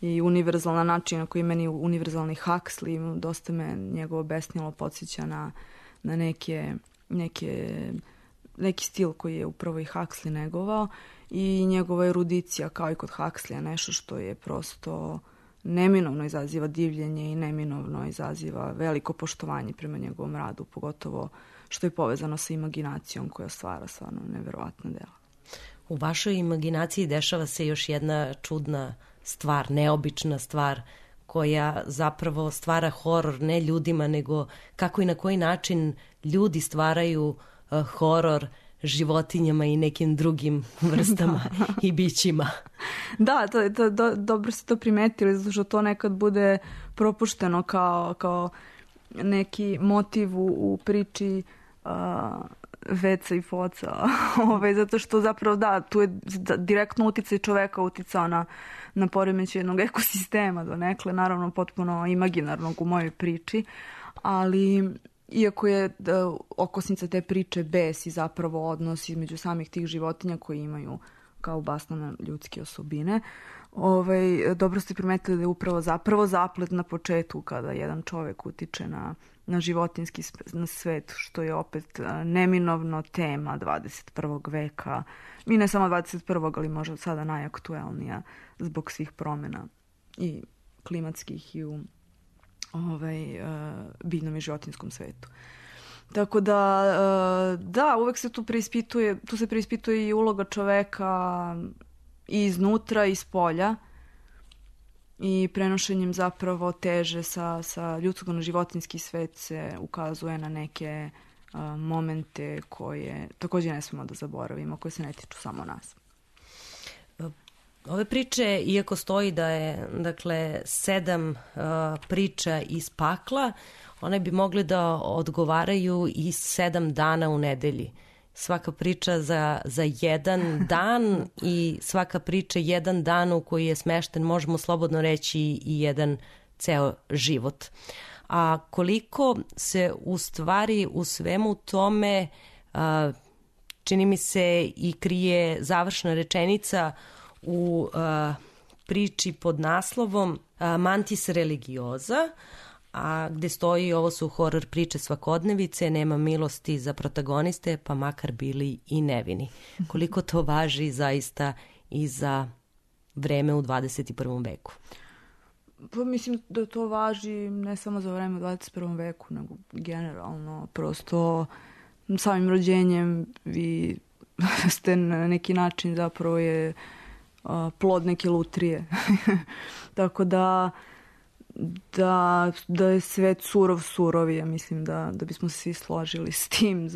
i univerzalan način na koji meni univerzalni Huxley, dosta me njegovo besnilo podsjeća na, na neke, neke neki stil koji je upravo i Huxley negovao i njegova erudicija kao i kod Huxleya, nešto što je prosto neminovno izaziva divljenje i neminovno izaziva veliko poštovanje prema njegovom radu, pogotovo što je povezano sa imaginacijom koja stvara stvarno neverovatna dela. U vašoj imaginaciji dešava se još jedna čudna stvar, neobična stvar koja zapravo stvara horor ne ljudima, nego kako i na koji način ljudi stvaraju uh, horor životinjama i nekim drugim vrstama i bićima. Da, to, to, do, dobro ste to primetili, zato što to nekad bude propušteno kao, kao neki motiv u, u priči uh, Veca i Foca. Ove, zato što zapravo da, tu je direktno uticaj čoveka uticao na, na poremećaj jednog ekosistema donekle, naravno potpuno imaginarnog u mojoj priči, ali iako je da, okosnica te priče bes i zapravo odnos između samih tih životinja koji imaju kao basnane ljudske osobine, ovaj, dobro ste primetili da je upravo zapravo zaplet na početku kada jedan čovek utiče na, na životinski na svet, što je opet neminovno tema dvadeset prvog veka. I ne samo dvadeset prvog, ali možda sada najaktuelnija zbog svih promena i klimatskih i u ovaj, uh, biljnom i životinskom svetu. Tako da, uh, da, uvek se tu preispituje, tu se preispituje i uloga čoveka i iznutra i iz polja i prenošenjem zapravo teže sa, sa ljudskog na životinski svet se ukazuje na neke uh, momente koje također ne smemo da zaboravimo, koje se ne tiču samo nas. Ove priče, iako stoji da je dakle sedam uh, priča iz pakla, one bi mogle da odgovaraju i sedam dana u nedelji. Svaka priča za, za jedan dan i svaka priča jedan dan u koji je smešten, možemo slobodno reći, i jedan ceo život. A koliko se u stvari u svemu tome uh, čini mi se i krije završna rečenica u uh, priči pod naslovom uh, Mantis religioza, a gde stoji ovo su horor priče svakodnevice, nema milosti za protagoniste, pa makar bili i nevini. Koliko to važi zaista i za vreme u dvadeset prvom veku? Pa mislim da to važi ne samo za vreme u dvadeset prvom veku, nego generalno. Prosto samim rođenjem vi ste na neki način zapravo je plod neke lutrije. Tako da, da, da je svet surov surov, ja mislim da, da bismo se svi složili s tim,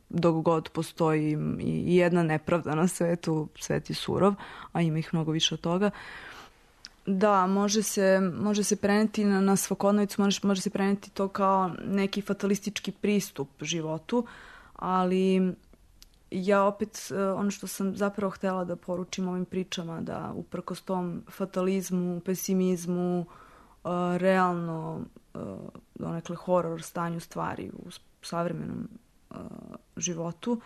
dok god postoji i jedna nepravda na svetu, svet je surov, a ima ih mnogo više od toga. Da, može se, može se preneti na, na svakodnevicu, može, može se preneti to kao neki fatalistički pristup životu, ali ja opet, ono što sam zapravo htjela da poručim ovim pričama, da uprkos tom fatalizmu, pesimizmu, realno donekle horor stanju stvari u savremenom životu,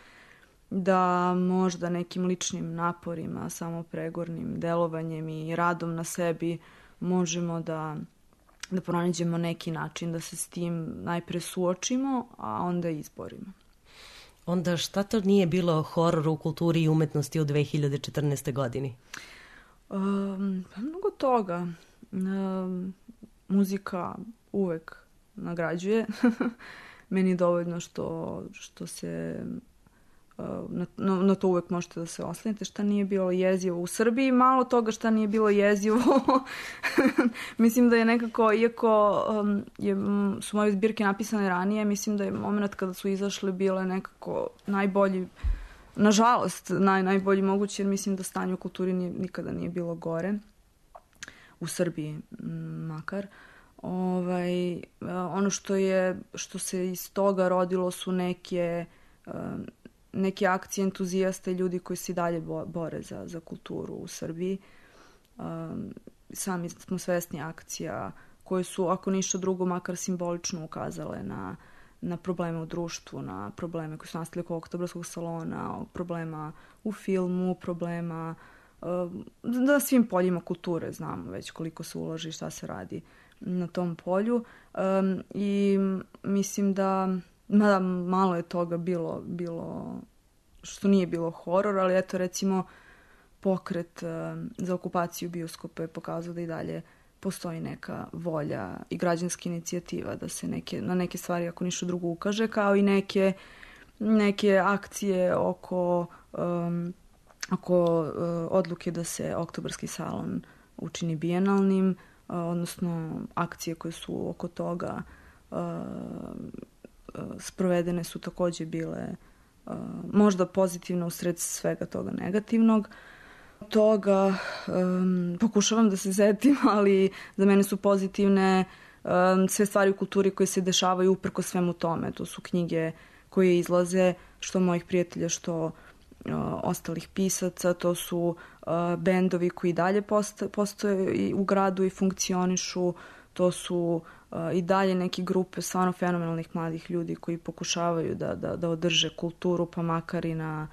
da možda nekim ličnim naporima, samopregornim delovanjem i radom na sebi možemo da, da pronađemo neki način da se s tim najpre suočimo, a onda izborimo. Onda šta to nije bilo horor u kulturi i umetnosti u dve hiljade četrnaestoj godini? Um, mnogo toga. Um, muzika uvek nagrađuje. Meni je dovoljno što, što se uh, na, na to uvek možete da se oslanite. Šta nije bilo jezivo u Srbiji, malo toga šta nije bilo jezivo. Mislim da je nekako, iako um, je, su moje zbirke napisane ranije, mislim da je moment kada su izašle bile nekako najbolji, nažalost, naj, najbolji mogući, jer mislim da stanje u kulturi nije, nikada nije bilo gore. U Srbiji makar. Ovaj, ono što je, što se iz toga rodilo su neke, neke akcije entuzijasta i ljudi koji se i dalje bore za, za kulturu u Srbiji. Sami smo svesni akcija koje su, ako ništa drugo, makar simbolično ukazale na, na probleme u društvu, na probleme koji su nastali oko Oktobarskog salona, problema u filmu, problema na svim poljima kulture, znamo već koliko se ulaže i šta se radi na tom polju. Um, I mislim da mada malo je toga bilo, bilo što nije bilo horor, ali eto recimo pokret um, za okupaciju bioskopa je pokazao da i dalje postoji neka volja i građanska inicijativa da se neke, na neke stvari ako ništa drugo ukaže, kao i neke, neke akcije oko um, oko uh, odluke da se Oktobarski salon učini bijenalnim, odnosno akcije koje su oko toga sprovedene su takođe bile možda pozitivno usred svega toga negativnog. Toga um, pokušavam da se setim, ali za mene su pozitivne um, sve stvari u kulturi koje se dešavaju uprko svemu tome. To su knjige koje izlaze, što mojih prijatelja, što uh, ostalih pisaca, to su uh, bendovi koji dalje postoje, postoje i u gradu i funkcionišu, to su uh, i dalje neke grupe stvarno fenomenalnih mladih ljudi koji pokušavaju da, da, da održe kulturu, pa makar i na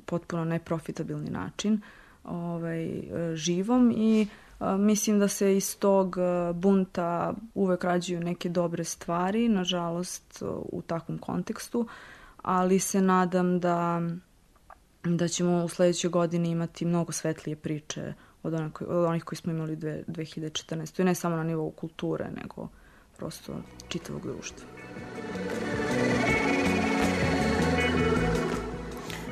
potpuno neprofitabilni način ovaj, živom i a, mislim da se iz tog bunta uvek rađaju neke dobre stvari, nažalost u takvom kontekstu, ali se nadam da, da ćemo u sledećoj godini imati mnogo svetlije priče od, onih, od onih koji smo imali dve hiljade četrnaeste. I ne samo na nivou kulture, nego prosto čitavog društva.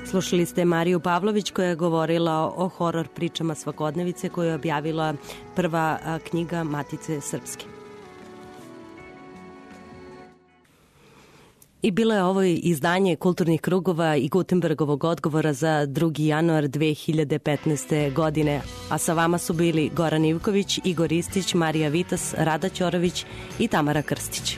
Slušali ste Mariju Pavlović koja je govorila o horor pričama svakodnevice koju je objavila prva knjiga Matice Srpske. I bilo je ovo izdanje Kulturnih krugova i Gutenbergovog odgovora za drugi januar dve hiljade petnaeste. godine, a sa vama su bili Goran Ivković, Igor Istić, Marija Vitas, Rada Ćorović i Tamara Krstić.